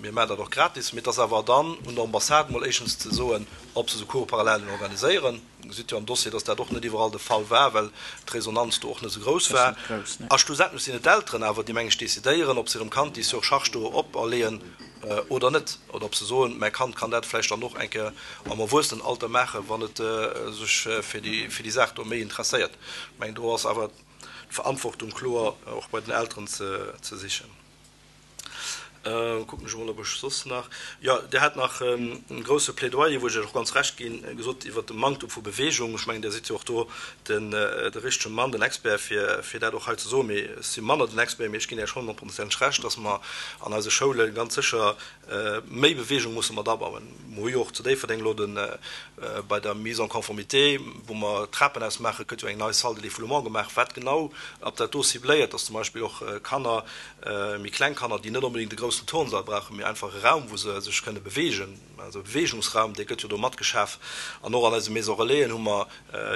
Mir maachen dat och gratis, mee et ass awer dann un der Ambassade mol éischtens ze soen, ob se esou Cours parallèlen organiséieren. Dir gesitt jo am Dossier, dass dat och net iwwerall de Fall war, well d'Resonanz do och net esou grouss war. A schlussendlech sinn et d'Elteren awer, déi, meng ech, decidéieren, ob se hirem Kand déi Surcharge do operleeën oder net, oder ob se soen, mäi Kand kann dat vläicht dann och eng Kéier am Erwuessenenalter maachen, wann et sech fir déi Saach do méi interesséiert. Ech mengen, do ass awer d'Verantwortung kloer och bei den Elteren ze sichen. Kucken ech emol, ob ech soss nach, jo, Dir hat nach e grouse Plädoyer, wou ech Iech och ganz Recht ginn, gesot iwwert de Manktum vu Bewegung. Ech mengen, Dir sidd jo och do den, de richtege Mann, den Expert, fir, fir dat och hei ze soen. Mee ech si manner den Expert, mee ech ginn Iech honnertprozenteg Recht, dass mer an eise Schoule ganz sécher méi Bewegung musse mat abauen. Mer hu jo och zu Déifferdeng elo de, bei der Mise en conformité, wou mer d'Trapenhaus maachen, gëtt jo eng nei Salle de défoulement gemaach, wat genau op dat do cibléiert, dass zum Beispill och Kanner, méi kleng Kanner, déi net onbedéngt e groussen Turnsall brauchen, mee einfach e Raum, wou se sech kënne beweegen, also e Beweegungsraum, dee gëtt jo do matgeschaf. An och an eise Maison Relaisen hu mer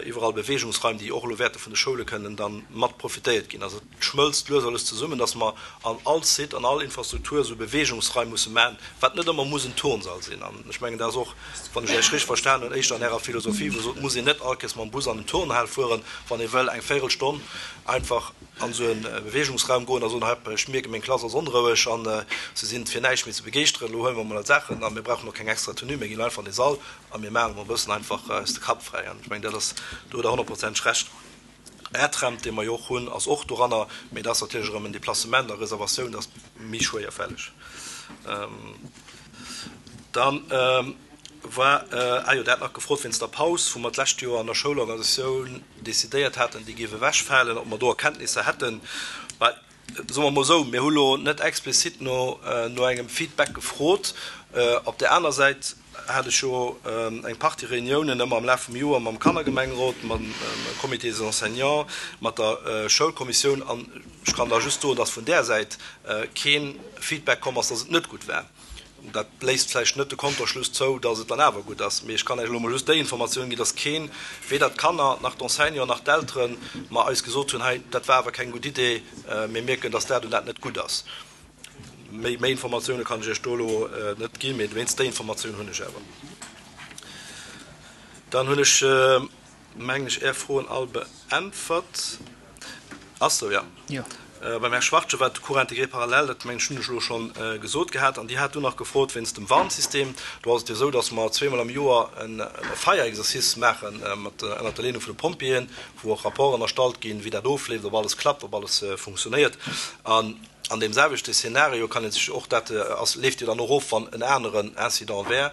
iwwerall Beweegungsraim, déi och elo wäerte vun de Schoule kënnen da mat profitéiert ginn. Also et schmëlzt lues a lues zesummen, dass mer an all Site, an all Infrastruktur esou Beweegungsraim musse maachen, wat net ëmmer muss en Turnsall sinn. An ech mengen, dat ass och, wann ech Iech richteg verstan hunn, éischter an Ärer Philosophie, wou Der sot, et muss een net all Kéiers mam Bus an den Turnhal fueren, wann ee wëll eng Véirelstonn einfach an esou e Beweegungsraum goen a soen, Hei, ech mierken, meng Klass ass onroueg a se sinn fir näischt méi ze begeeschteren, elo huele mer emol eis Saachen a mir brauchen och keng extra Tenue, mir ginn einfach an dee Sall a mir maachen emol e bëssen einfach eis de Kapp fräi. An ech mengen, dat ass, do hutt Der honnertprozenteg Recht. Airtramp, dee mer jo och hunn, ass och doranner, mee dat ass natierlech erëm en Deplacement a Reservatioun, dat ass méi schwéierfälleg. Dann war, ah jo, Der hat nach gefrot wéinst der Paus, wou mer d'lescht Joer an der Schoulorganisatioun decidéiert haten, déi géif ewechfalen, ob mer do Erkenntnisser hätten. Bah, soe mer emol esou, mir hu lo net explizit no no engem Feedback gefrot. Op där aner Säit hat ech jo eng Partie Reuniounen ëmmer am Laf vum Joer mam Kannergemengerot, mam Comité des enseignants, mat der Schoulkommissioun an ech kann da just soen, dass vun där Säit kee Feedback komm ass, dass et net gutt war. Dat léisst vläicht net de Konterschluss zou, dass et dann awer gutt ass, mee ech kann Iech elo emol just déi Informatioun ginn, dass keen, weder d'Kanner nach d'Enseignanten nach d'Elteren, mer eis gesot hunn, hei, dat war awer keng gutt Idee, mir mierken, dass dat und dat net gutt ass. Méi, méi Informatioune kann ech Iech do elo net ginn, mee wéinst déi Informatioun hunn ech awer. Dann hunn ech, mengen ech, Är Froen all beäntwert. Ass sou, jo. Jo. Beim Här Schwachtgen war de Cours intégré parallèle, dat mengen ech hunn ech elo schonn gesot gehat. An Dir hat dunn nach gefrot wéinst dem Warnsystem. Do ass et jo esou, datt mer zweemol am Joer e Feierexercice maache mat ënnert der Leedung vun de Pompjeeën, wou och Rapporten erstallt ginn, wéi dat ofleeft, ob alles klappt, ob alles funktionéiert. An an deem selwechte Szenario kann ee sech och, dat ass, leeft jo dann och of, wann en aneren Incident wär,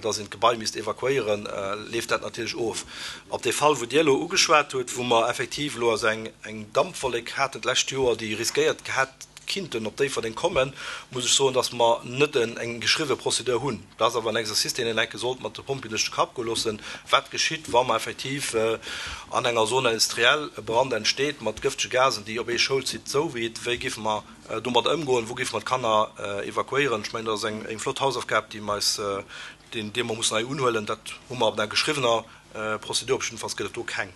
dass een d'Gebai misst evakuéieren, leeft dat natierlech of. Op dee Fall, wou Dir elo ugeschwat hutt, wou mer effektiv elo also eng eng Dampwollek haten d'lescht Joer, déi riskéiert hätt kinnten op Déifferdeng kommen, muss ech soen, dass mer net eng geschriwwe Procédure hunn. Dat ass awer en Exercice, deen een enke sollt mat de Pompjeeën duerch de Kapp goe loossen, Wat geschitt, wa mer effektiv an enger Zone industrielle e Brand entsteet mat gëftege Gasen, déi op ee Schoulsite zouweet? Wéi géife mer domadder ëmgoen? Wou géife mer d'Kanner evakuéieren? Ech mengen, dat ass eng flott Hausaufgab, déi mer eis, déi mer mussen hei unhuelen. Dat hu mer op enger geschriwwener Prozedur, op jiddefalls gëtt et do keng.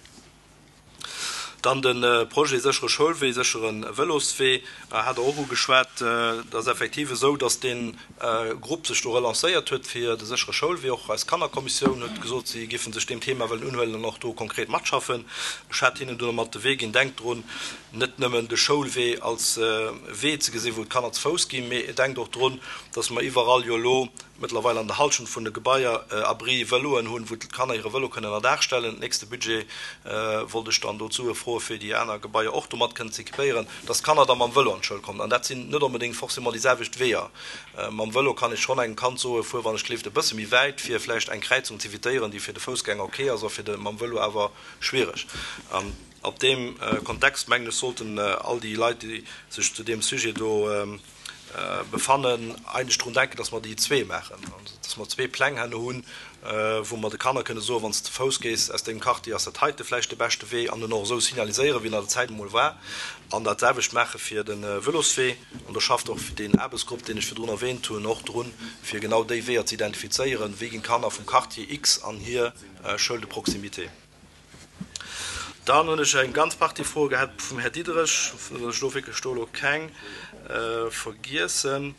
Dann de Projet séchere Schoulwee, séchere Vëloswee hat Der och ugeschwat. Et ass effektiv esou, datt dee Grupp sech do relancéiert huet fir de séchere Schoulwee. Och eis Kannerkommissioun huet gesot, si géife sech deem Thema wëllen unhuelen an och do konkret matschaffen. Ech hat hinnen dunn mat de Wee ginn, Denkt drun, net nëmmen de Schoulwee als Wee ze gesinn, wou d'Kanner ze Fouss ginn, mee denkt och drun, datt mer iwwerall jo elo mëttlerweil an der Halschent vun de Gebaier Abri Vëloen hunn, wou d'Kanner hire Vëlo kënnen ënnerdaach stellen. Nächste Budget wollt ech dann do d'Sue froe fir déi aner Gebaier och domat kënnen ze équipéieren, dass d'Kanner da mam Vëlo an d'Schoul kommen. An dat sinn net onbedéngt forcément déi selwecht Weeër. Mam Vëlo kann ech schonn engem Kand soen, fuer wann ech gleeft e bësse méi wäit, fir vläicht eng Kräizung z'evitéieren, déi fir de Foussgänger ok ass a fir de mam Vëlo awer schwiereg. An op deem Kontext, mengen ech, sollten all déi Leit, déi sech zu deem Sujet do befannen, eigentlech drun denken, dass mer déi zwee maachen, also dass mer zwee Pläng herno hunn, wou mer de Kanner kënne soen, Wann s de ze Fouss gees aus dengem Quartier, ass dat heite vläicht de beschte Wee, an en och esou signaliséieren, wéi en an der Zäit emol war, an dat selwecht maache fir de Vëloswee. An do schafft och deen Aarbechtsgrupp, deen ech virdrun erwähnt hunn, och drun, fir genau déi Weeër ze identifizéieren, wéi ginn d'Kanner vum Quartier X an hir Schoul de proximité. Dann hunn ech eng ganz Partie Froe gehat vum Här Diderich, datt ech elo wierklech do elo keng vergiessen.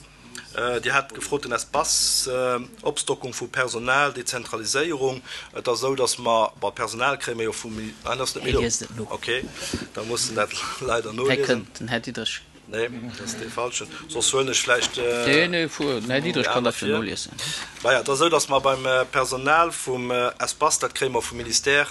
Dir hat gefrot, den Espace, Opstockung vu Personal, Dezentraliséierung. Et ass esou, datt mer, bon, d'Personal kréie mer jo vum, ah, en ass net méi do. Hie liest et no. Okay, da muss en dat leider Hei noliesen. kënnt den Här Diderich. Nee, dat ass dee falschen. Soss huelen ech vläicht Nee, nee, fuer. Den Här Diderich déi kann aner dat jo vir. noliesen. Maja, et ass esou, datt mer beim Personal vum Espace, dat kréie mer vum Ministère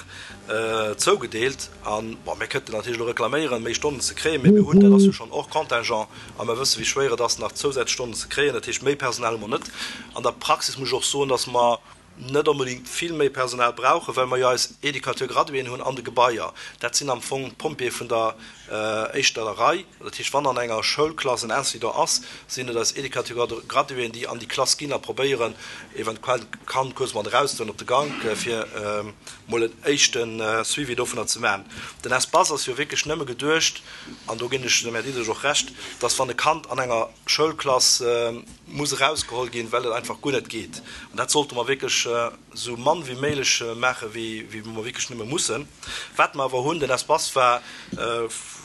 zougedeelt, an, bon, mir kënnten natierlech elo reklaméieren, méi Stonnen ze kréien, mee mir hunn, dat ass jo schonn hors contingent, a mer wësse wéi schwéier et ass, nach zousätzlech Stonnen ze kréien. Dat heescht, méi Personal hu mer net. An der Praxis muss ech och soen, datt mer net onbedéngt vill méi Personal brauchen, well mer jo eis Éducateur-graduéen hunn an de Gebaier. Dat sinn am Fong d'Pompjeeë vun der éischter Rei. Dat heescht, wann an enger Schoulklass en Incident ass, sinn et eis Éducateur-graduéen, déi an déi Klass ginn a probéieren, eventuell d'Kand kuerz mat erauszehuelen op de Gank, fir mol en éischte Suivi dovunner ze maachen. Den Espace ass jo wierklech nëmme geduecht, an do ginn ech dem Här Diderich och Recht, dass wann e Kand an enger Schoulklass muss erausgeholl ginn, well et einfach guer net geet. An dat sollte mer wierklech esou mann wéi méiglech maachen, wéi mer wierklech nëmme mussen. Wat mer awer hunn, den Espace war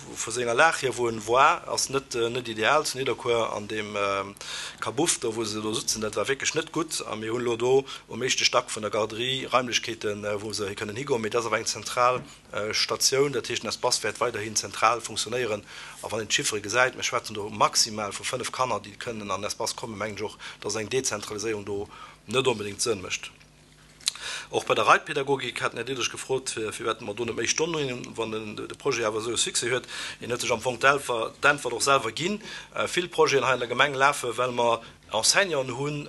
vu senger Lag hier, wou en war, ass net net ideal zu Nidderkuer an deem Kabuff do, wou se do sutzen, dat war wierklech net gutt. A mir hunn elo do um éischte Stack vun der Garderie Raimlechkeeten, wou se kënnen higoen. Mee dat ass awer eng zentral Statioun, dat heescht, den Espace wäert weiderhin zentral funktionéieren. A wann een d'Chiffere gesäit, mir schwätzen do maximal vu fënnef Kanner, déi kënnen an den Espace kommen, mengen ech och, dass eng Dezentraliséierung do net onbedéngt Sënn mécht. Och bei der Reitpädagogik hat den Här Diderich gefrot, firwat mer do net méi Stonnen hunn, wann de Projet awer esou e Succès huet. Hien huet sech am Fong d'Äntwert och selwer ginn. Vill Projeten hei an der Gemeng lafen, well mer Enseignanten hunn,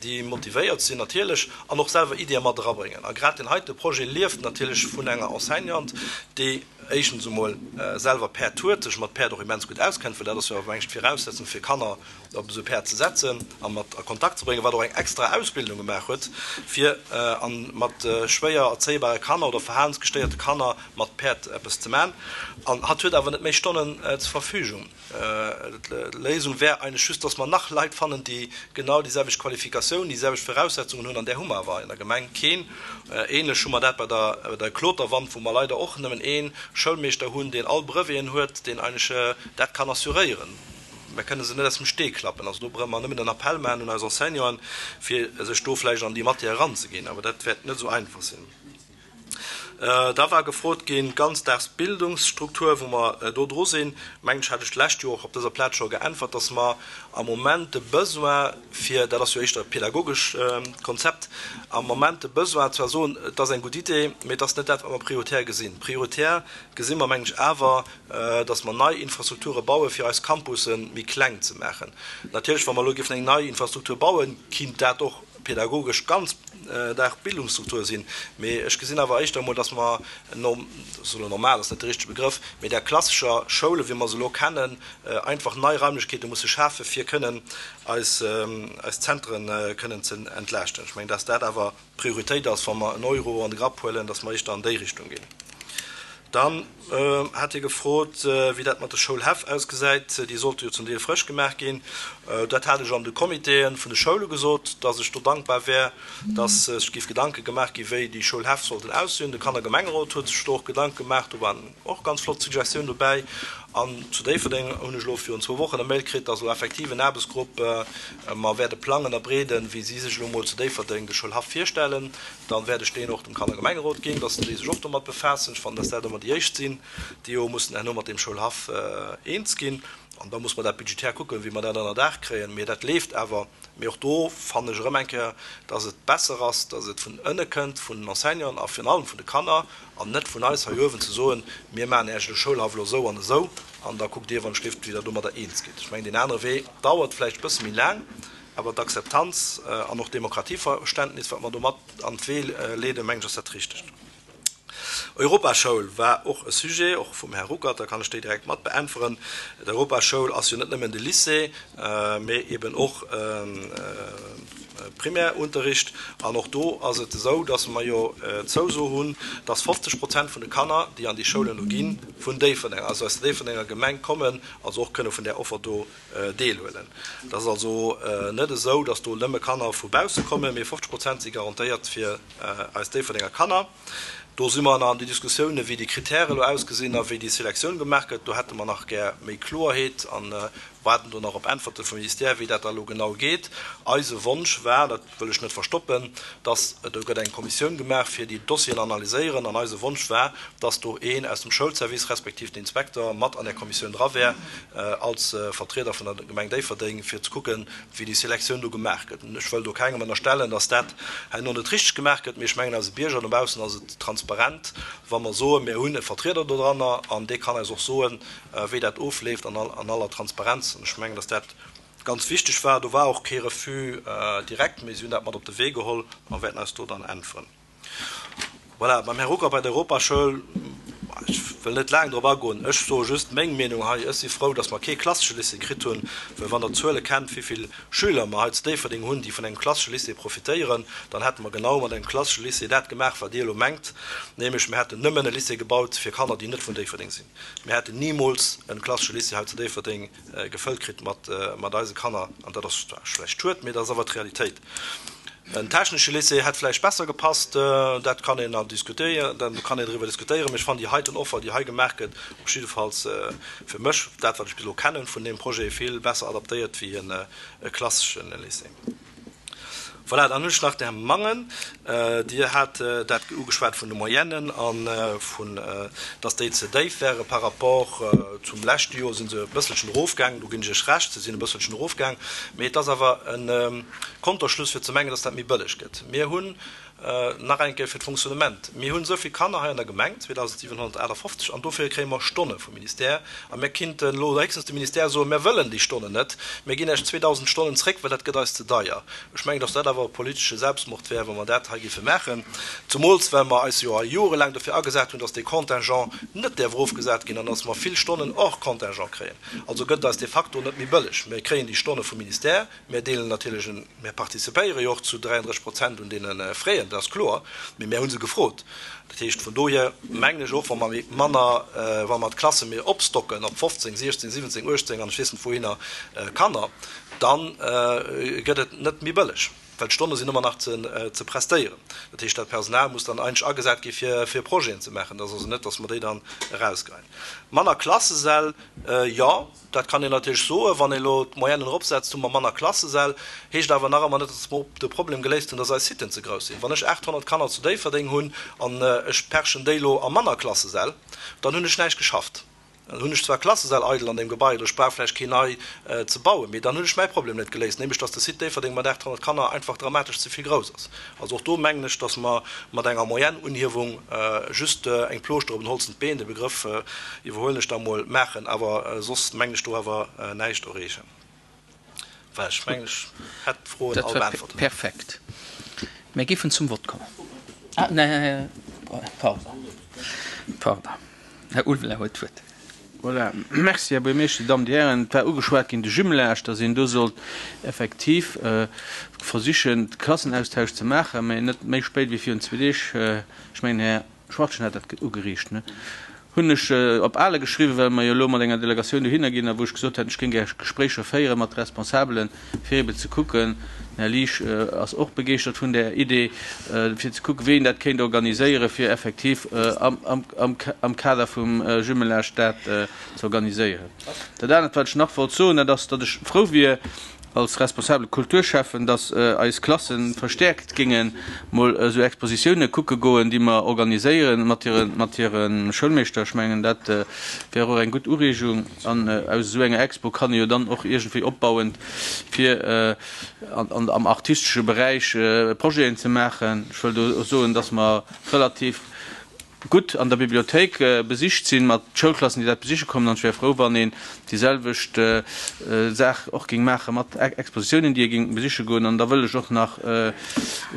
déi motivéiert sinn natierlech an och selwer Iddie mat erabréngen. A grad deen heite Projet lieft natierlech vun enger Enseignante, déi éischtens emol selwer Päerd huet, sech mat Päerd och immens gutt auskennt, well dat ass jo awer eng Viraussetzung fir Kanner op esou Päerd ze setzen a mat a Kontakt ze bréngen, wat och eng extra Ausbildung gemaach huet, fir mat schwéier erzéibare Kanner oder verhalensgestéierte Kanner mat Päerd eppes ze maachen. An hatt huet awer net méi Stonnen zur Verfügung. D'Léisung wär eigentlech just, dass mer nach Leit fannen, déi genau déi selwecht Qualifikatioun, déi selwecht Voraussetzungen hunn, an där hu mer awer in der Gemeng keen. Ähnlech hu mer dat bei der der Kloterwand, wou mer leider och nëmmen ee Schoulmeeschter hunn, deen all Breveten huet, deen eigentlech dat kann assuréieren. Mer kënne se net aus dem Stee klappen. Also do brauche mer nëmmen en Appell maachen un eis Enseignanten, fir sech do vläicht an déi Matière eranzeginn. Awer dat wäert net esou einfach sinn. Da war gefrot ginn, d'Ganzdagsbildungsstruktur, wou mer do dru sinn. Mengen ech, hat ech d'lescht Joer och op dëser Plaz scho geäntwert, dass mer am Moment de Besoin fir, dat ass jo éischter e pädagogesch Konzept, am Moment de Besoin zwar soen, et ass eng gutt Idee, mee et ass net dat, wat mer prioritär gesinn. Prioritär gesi mer, mengen ech, awer, dass mer nei Infrastrukture bauen, fir eis Campusse méi kleng ze maachen. Natierlech, wa mer elo géifen eng nei Infrastruktur bauen, kinnt dat och pädagogesch Ganzdagbildungsstruktur sinn, mee ech gesinn awer éischter emol, dass mer, ech soe normal ass net de richtege Begrëff, mee där klassescher Schoule wéi mer se elo kennen, einfach nei Raimlechkeete musse schafen, fir kënnen eis eis Zentren kënnen ze entlaaschten. Ech mengen, dass dat awer d'Prioritéit ass, wa mer en Euro an de Grapp huelen, dass mer éischter an déi Richtung ginn. Dann hat hie gefrot, wéi dat mat de Schoulhäff ausgesäit. Déi sollte jo zum Deel frësch gemaach ginn. Dat hat ech an de Comitéen vun de Schoule gesot, dass ech do dankbar wär, dass sech géif Gedanke gemaach gi wéi déi Schoulhäff sollten aussinn. De Kannergemengerot huet sech do och Gedanke gemaach. Do waren och ganz flott Suggestiounen dobäi. An zu Déifferdeng hunn ech elo virun zwou Wochen e Mail kritt, dass elo effektiv en Aarbechtsgrupp mer wäert e Plang ënnerbreeden, wéi si sech elo mol zu Déifferdeng de Schoulhaff virstellen. Dann wäert ech deen och dem Kannergemengerot ginn, dass déi sech och domat befaassen. Ech fannen, dass dat ëmmer déi éischt sinn, déi jo mussen herno mat deem Schoulhaff eens ginn. An da muss mer dat budgetär kucken, wéi mer dat ënner Daach kréien. Mee dat leeft awer. Mee och do fannen ech erëm eng Kéier, dass et besser ass, dass et vun ënne kënnt, vun den Enseignanten a virun allem vun de Kanner, an net vun eis hei uewen ze soen, mir maachen Iech de Schoulhaff elo esou an esou, an da kuckt Dir, wann ech géif, wéi Der domadder eens gitt. Ech mengen, deen anere Wee dauert vläicht e bësse méi laang, awer d'Akzeptanz an och d'Demokratieverständnis, wat mer do mat an d'Wee leeden, mengen ech, ass dat Richtegt. Europaschoul war och e Sujet, och vum Här Ruckert, da kann ech déi direkt mat beäntweren. D'Europaschoul ass jo net nëmmen de Lycée, mee eben och Primärunterricht. An och do ass et esou, dass mer jo d'Zouso hunn, dass fofzeg Prozent vun de Kanner, déi an déi Schoulen elo ginn, vun Déifferdeng, also aus der Déifferdenger Gemeng kommen, also och kënne vun där Offer do deelhuelen. Et ass also net esou, dass do nëmme Kanner vu bausse kommen, mee fofzeg Prozent si garantéiert fir eis Déifferdenger Kanner. Do si mer nach an de Diskussiounen, wéi déi Kritäre elo ausgesinn a wéi déi Selektioun gemaach gëtt. Do hätte mer nach gär méi Kloerheet. An waarden do nach op Äntwerte vum Ministère, wéi dat da elo genau geet. Eise Wonsch war, dat wëll ech net verstoppen, dass, do gëtt eng Kommissioun gemaach, fir déi Dossieren analyséieren, an eise Wonsch war, dass do een aus dem Schoulservice respektiv den Inspekter mat an där Kommissioun dra wär, als Vertrieder vun der Gemeng Déifferdeng, fir ze kucken, wéi déi Selektioun do gemaach gëtt. Ech wëll do kengem ënnerstellen, dass dat herno net richteg gemaach gëtt, mee ech mengen, eise Bierger dobaussen ass et transparent, wa mer soen, mir hunn e Vertrieder dodranner an dee kann eis och soen, wéi dat ofleeft an aller Transparenz. An ech mengen, dass dat ganz wichteg war. Do war och kee Refus direkt, mee si hunn dat mat op de Wee geholl a wäerten eis do dann äntweren. Voilà, beim Här Rucker bei der Europaschoul, ech wëll net laang drop agoen, ech soe just meng Meenung hei, Ech si frou, dass mer kee klassesche Lycée kritt hunn, well wann Der d'Zuele kennt, wéi vill Schüler mer hei zu Déifferdeng hunn, déi vun engem klassesche Lycée profitéieren, dann hätte mer genau mat engem klassesche Lycée dat gemaach, wat Dir elo mengt, nämlech mir hätten nëmmen e Lycée gebaut fir Kanner, déi net vun Déifferdeng sinn. Mir hätten nimools e klassesche Lycée hei zu Déifferdeng gefëllt kritt mat eise Kanner. An dat ass zwar schlecht schued, mee dat ass awer d'Realitéit. En technesche Lycée hätt vläicht besser gepasst, dat kann een diskutéieren, do kann een driwwer diskutéieren, mee ech fannen déi heiten Offer, déi hei gemaach gëtt, op jiddefalls fir mech, dat wat ech bis elo kennen vun deem Projet, vill besser adaptéiert wéi e klassesche Lycée. Voilà, dann hunn ech nach den Här Mangen. Dir hat dat ugeschwat vun de Moyennen a vun, dass déi ze déif wäre par rapport zum leschte Joer si se e bësselchen erofgaangen. Do ginn ech Iech Recht, se sinn e bësselchen erofgaang. Mee et ass awer e Konterschluss fir ze mengen, dass dat méi bëlleg gëtt. Mir hunn Nach eng Kéier fir d'Fonctionnement, Mir hunn esou vill Kanner hei an der Gemeng, zweedausendsiwenhonnertaachtafoffzeg, an dofir kréie mer Stonne vum Ministère. A mir kinnten elo héchstens dem Ministère soen, Mir wëllen déi Stonnen net, mir ginn Iech zweedausend Stonnen zréck, well dat gëtt eis ze deier. Ech mengen, datt dat awer e politesche Selbstmord wär, wa mer dat hei géife maachen, zumools well mer eis jo hei jorelaang dofir agesat hunn, datt dee Contingent net däerf erofgesat ginn an datt mer vill Stonnen hors Contingent kréien. Also gëtt et eis de facto net méi bëlleg. Mir kréien déi Stonne vum Ministère, Mir deelen natierlech en, mir participéiere jo och zu dräianddrësseg Prozent un deene Fräen, dat ass kloer, mee mir hu se gefrot. Dat heescht, vun dohier mengen ech och, wa mer méi manner, wa mer d'Klasse méi opstocken op fofzéng, siechzéng, siwwenzéng, uechtzéng an ech weess net wouhinner Kanner, da gëtt et net méi bëlleg, well d'Stonne sinn ëmmer nach ze prestéieren. Dat heescht, dat Personal muss dann eigentlech agesat gi fir Projeten ze maachen. Dat ass also net, datt mer déi dann erausgeheien. Manner Klassesäll, jo. Dat kann een natierlech soen, wann ee elo d'Moyennen eropsetzt, hu mer manner Klassesäll. Heescht awer nach ëmmer net, datt mer de Problem geléist hunn, datt eis Siten ze grouss sinn. Wann ech achthonnert Kanner zu Déifferdeng hunn an ech perchen déi elo a manner Klassesäll, dann hunn ech näischt geschafft. Dann hunn ech zwar Klassesäll eidel an deem Gebai oder ech brauch vläicht keen nei ze bauen, mee dann hunn ech mäi Problem net geléist, nämlech datt de Site Déifferdeng mat achthonnert Kanner einfach dramatesch ze vill grouss ass. Also och do mengen ech, datt mer mat enger Moyenne-Unhiewung just eng Plooschter op en holzent Been, de Begrëff iwwerhuelen ech da mol, maachen, awer soss mengen ech do awer näischt erreechen. Voilà, ech mengen ech hätt d'Froen Dat all war beäntwert. perfekt. Mir géifen zum Vott kommen. Ah, nee, pardon, pardon, Här Ulveling huet d'Wuert. Voilà. Merci, Här Buergermeeschter, Dir Dammen, Dir Hären. Et war ugeschwat ginn, de Jumelage, dass een do sollt effektiv versichen, de Klassenaustausch ze maachen, mä net méi spéit wéi virun zwee Deeg, ech mengen, Här Schwachtgen hat dat ugeriicht, ne, hunn ech op Ale geschriwwen, well mer jo elo mat enger Delegatioun dohinner ginn a wou ech gesot hat, ech géing gär Gespréicher féiere mat Responsabelen, fir ebe ze kucken, den Här Liesch ass och begeeschtert vun där Idee, fir ze kucken, wéi een dat kéint organiséieren, fir effektiv am Kader vum Jumelage dat ze organiséieren. Dat anert, wat ech nach wollt soen, dat ass, datt ech frou wier als responsabele Kulturschäffen, datt eis Klasse verstäerkt géinge mol esou Expositioune kucke goen, déi mer organiséieren mat hire Schoulmeeschter. Ech mengen, dat wär och eng gutt Ureegung. An aus esou enger Expo kann ee jo dann och iergendwéi opbauend fir am artistesche Beräich Projeten ze maachen. Ech wëll do soen, dass mer relativ gutt an der Bibliothéik besicht sinn, mat Schoulklassen, déi dat besiche kommen. An ech wär frou, wann een déi selwecht Saach och géing maache mat Expositiounen, déi ee géing besiche goen. An da wëll ech och nach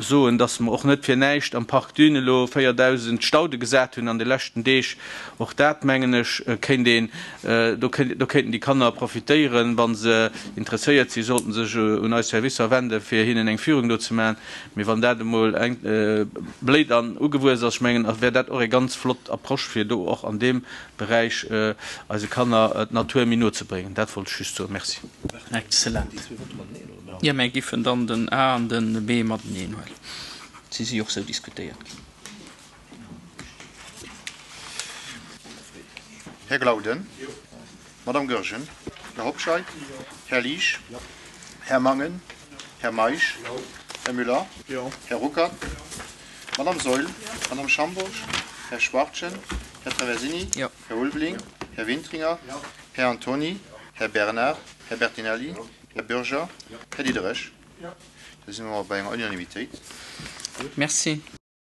soen, dass mer och net fir näischt am Parc Dune elo véierdausend Staude gesat hunn an de leschten Deeg. Och dat, mengen ech, kéint een Do kéinten déi Kanner profitéieren. Wa se interesséiert sinn, sollten se sech un eis Servicer wenden, fir hinnen eng Führung do ze maachen. Mee wann dat emol bléit an ugewuess ass, ech mengen, wär dat och eng ganz flott Approche, fir do och an deem Beräich eise Kanner d'Natur méi no ze bréngen. Dat wollt ech just soen. Merci. Excellent. Jo, mir giffen dann den A an den B mateneen huelen. Si si jo och sou diskutéiert ginn. Här Glauden. Madame Goergen. Här Hobscheit? Här Liesch? Här Mangen? Här Meisch? Här Müller? Här Ruckert? Madame Saeul? Madame Schambourg? Här Schwachtgen? Här Traversini? Här Ulveling? Här Wintringer? Här Antony? Här Bernard? Här Bertinelli? Här Bürger? Här Diderich? Da si mer bei enger Unanimitéit. Merci.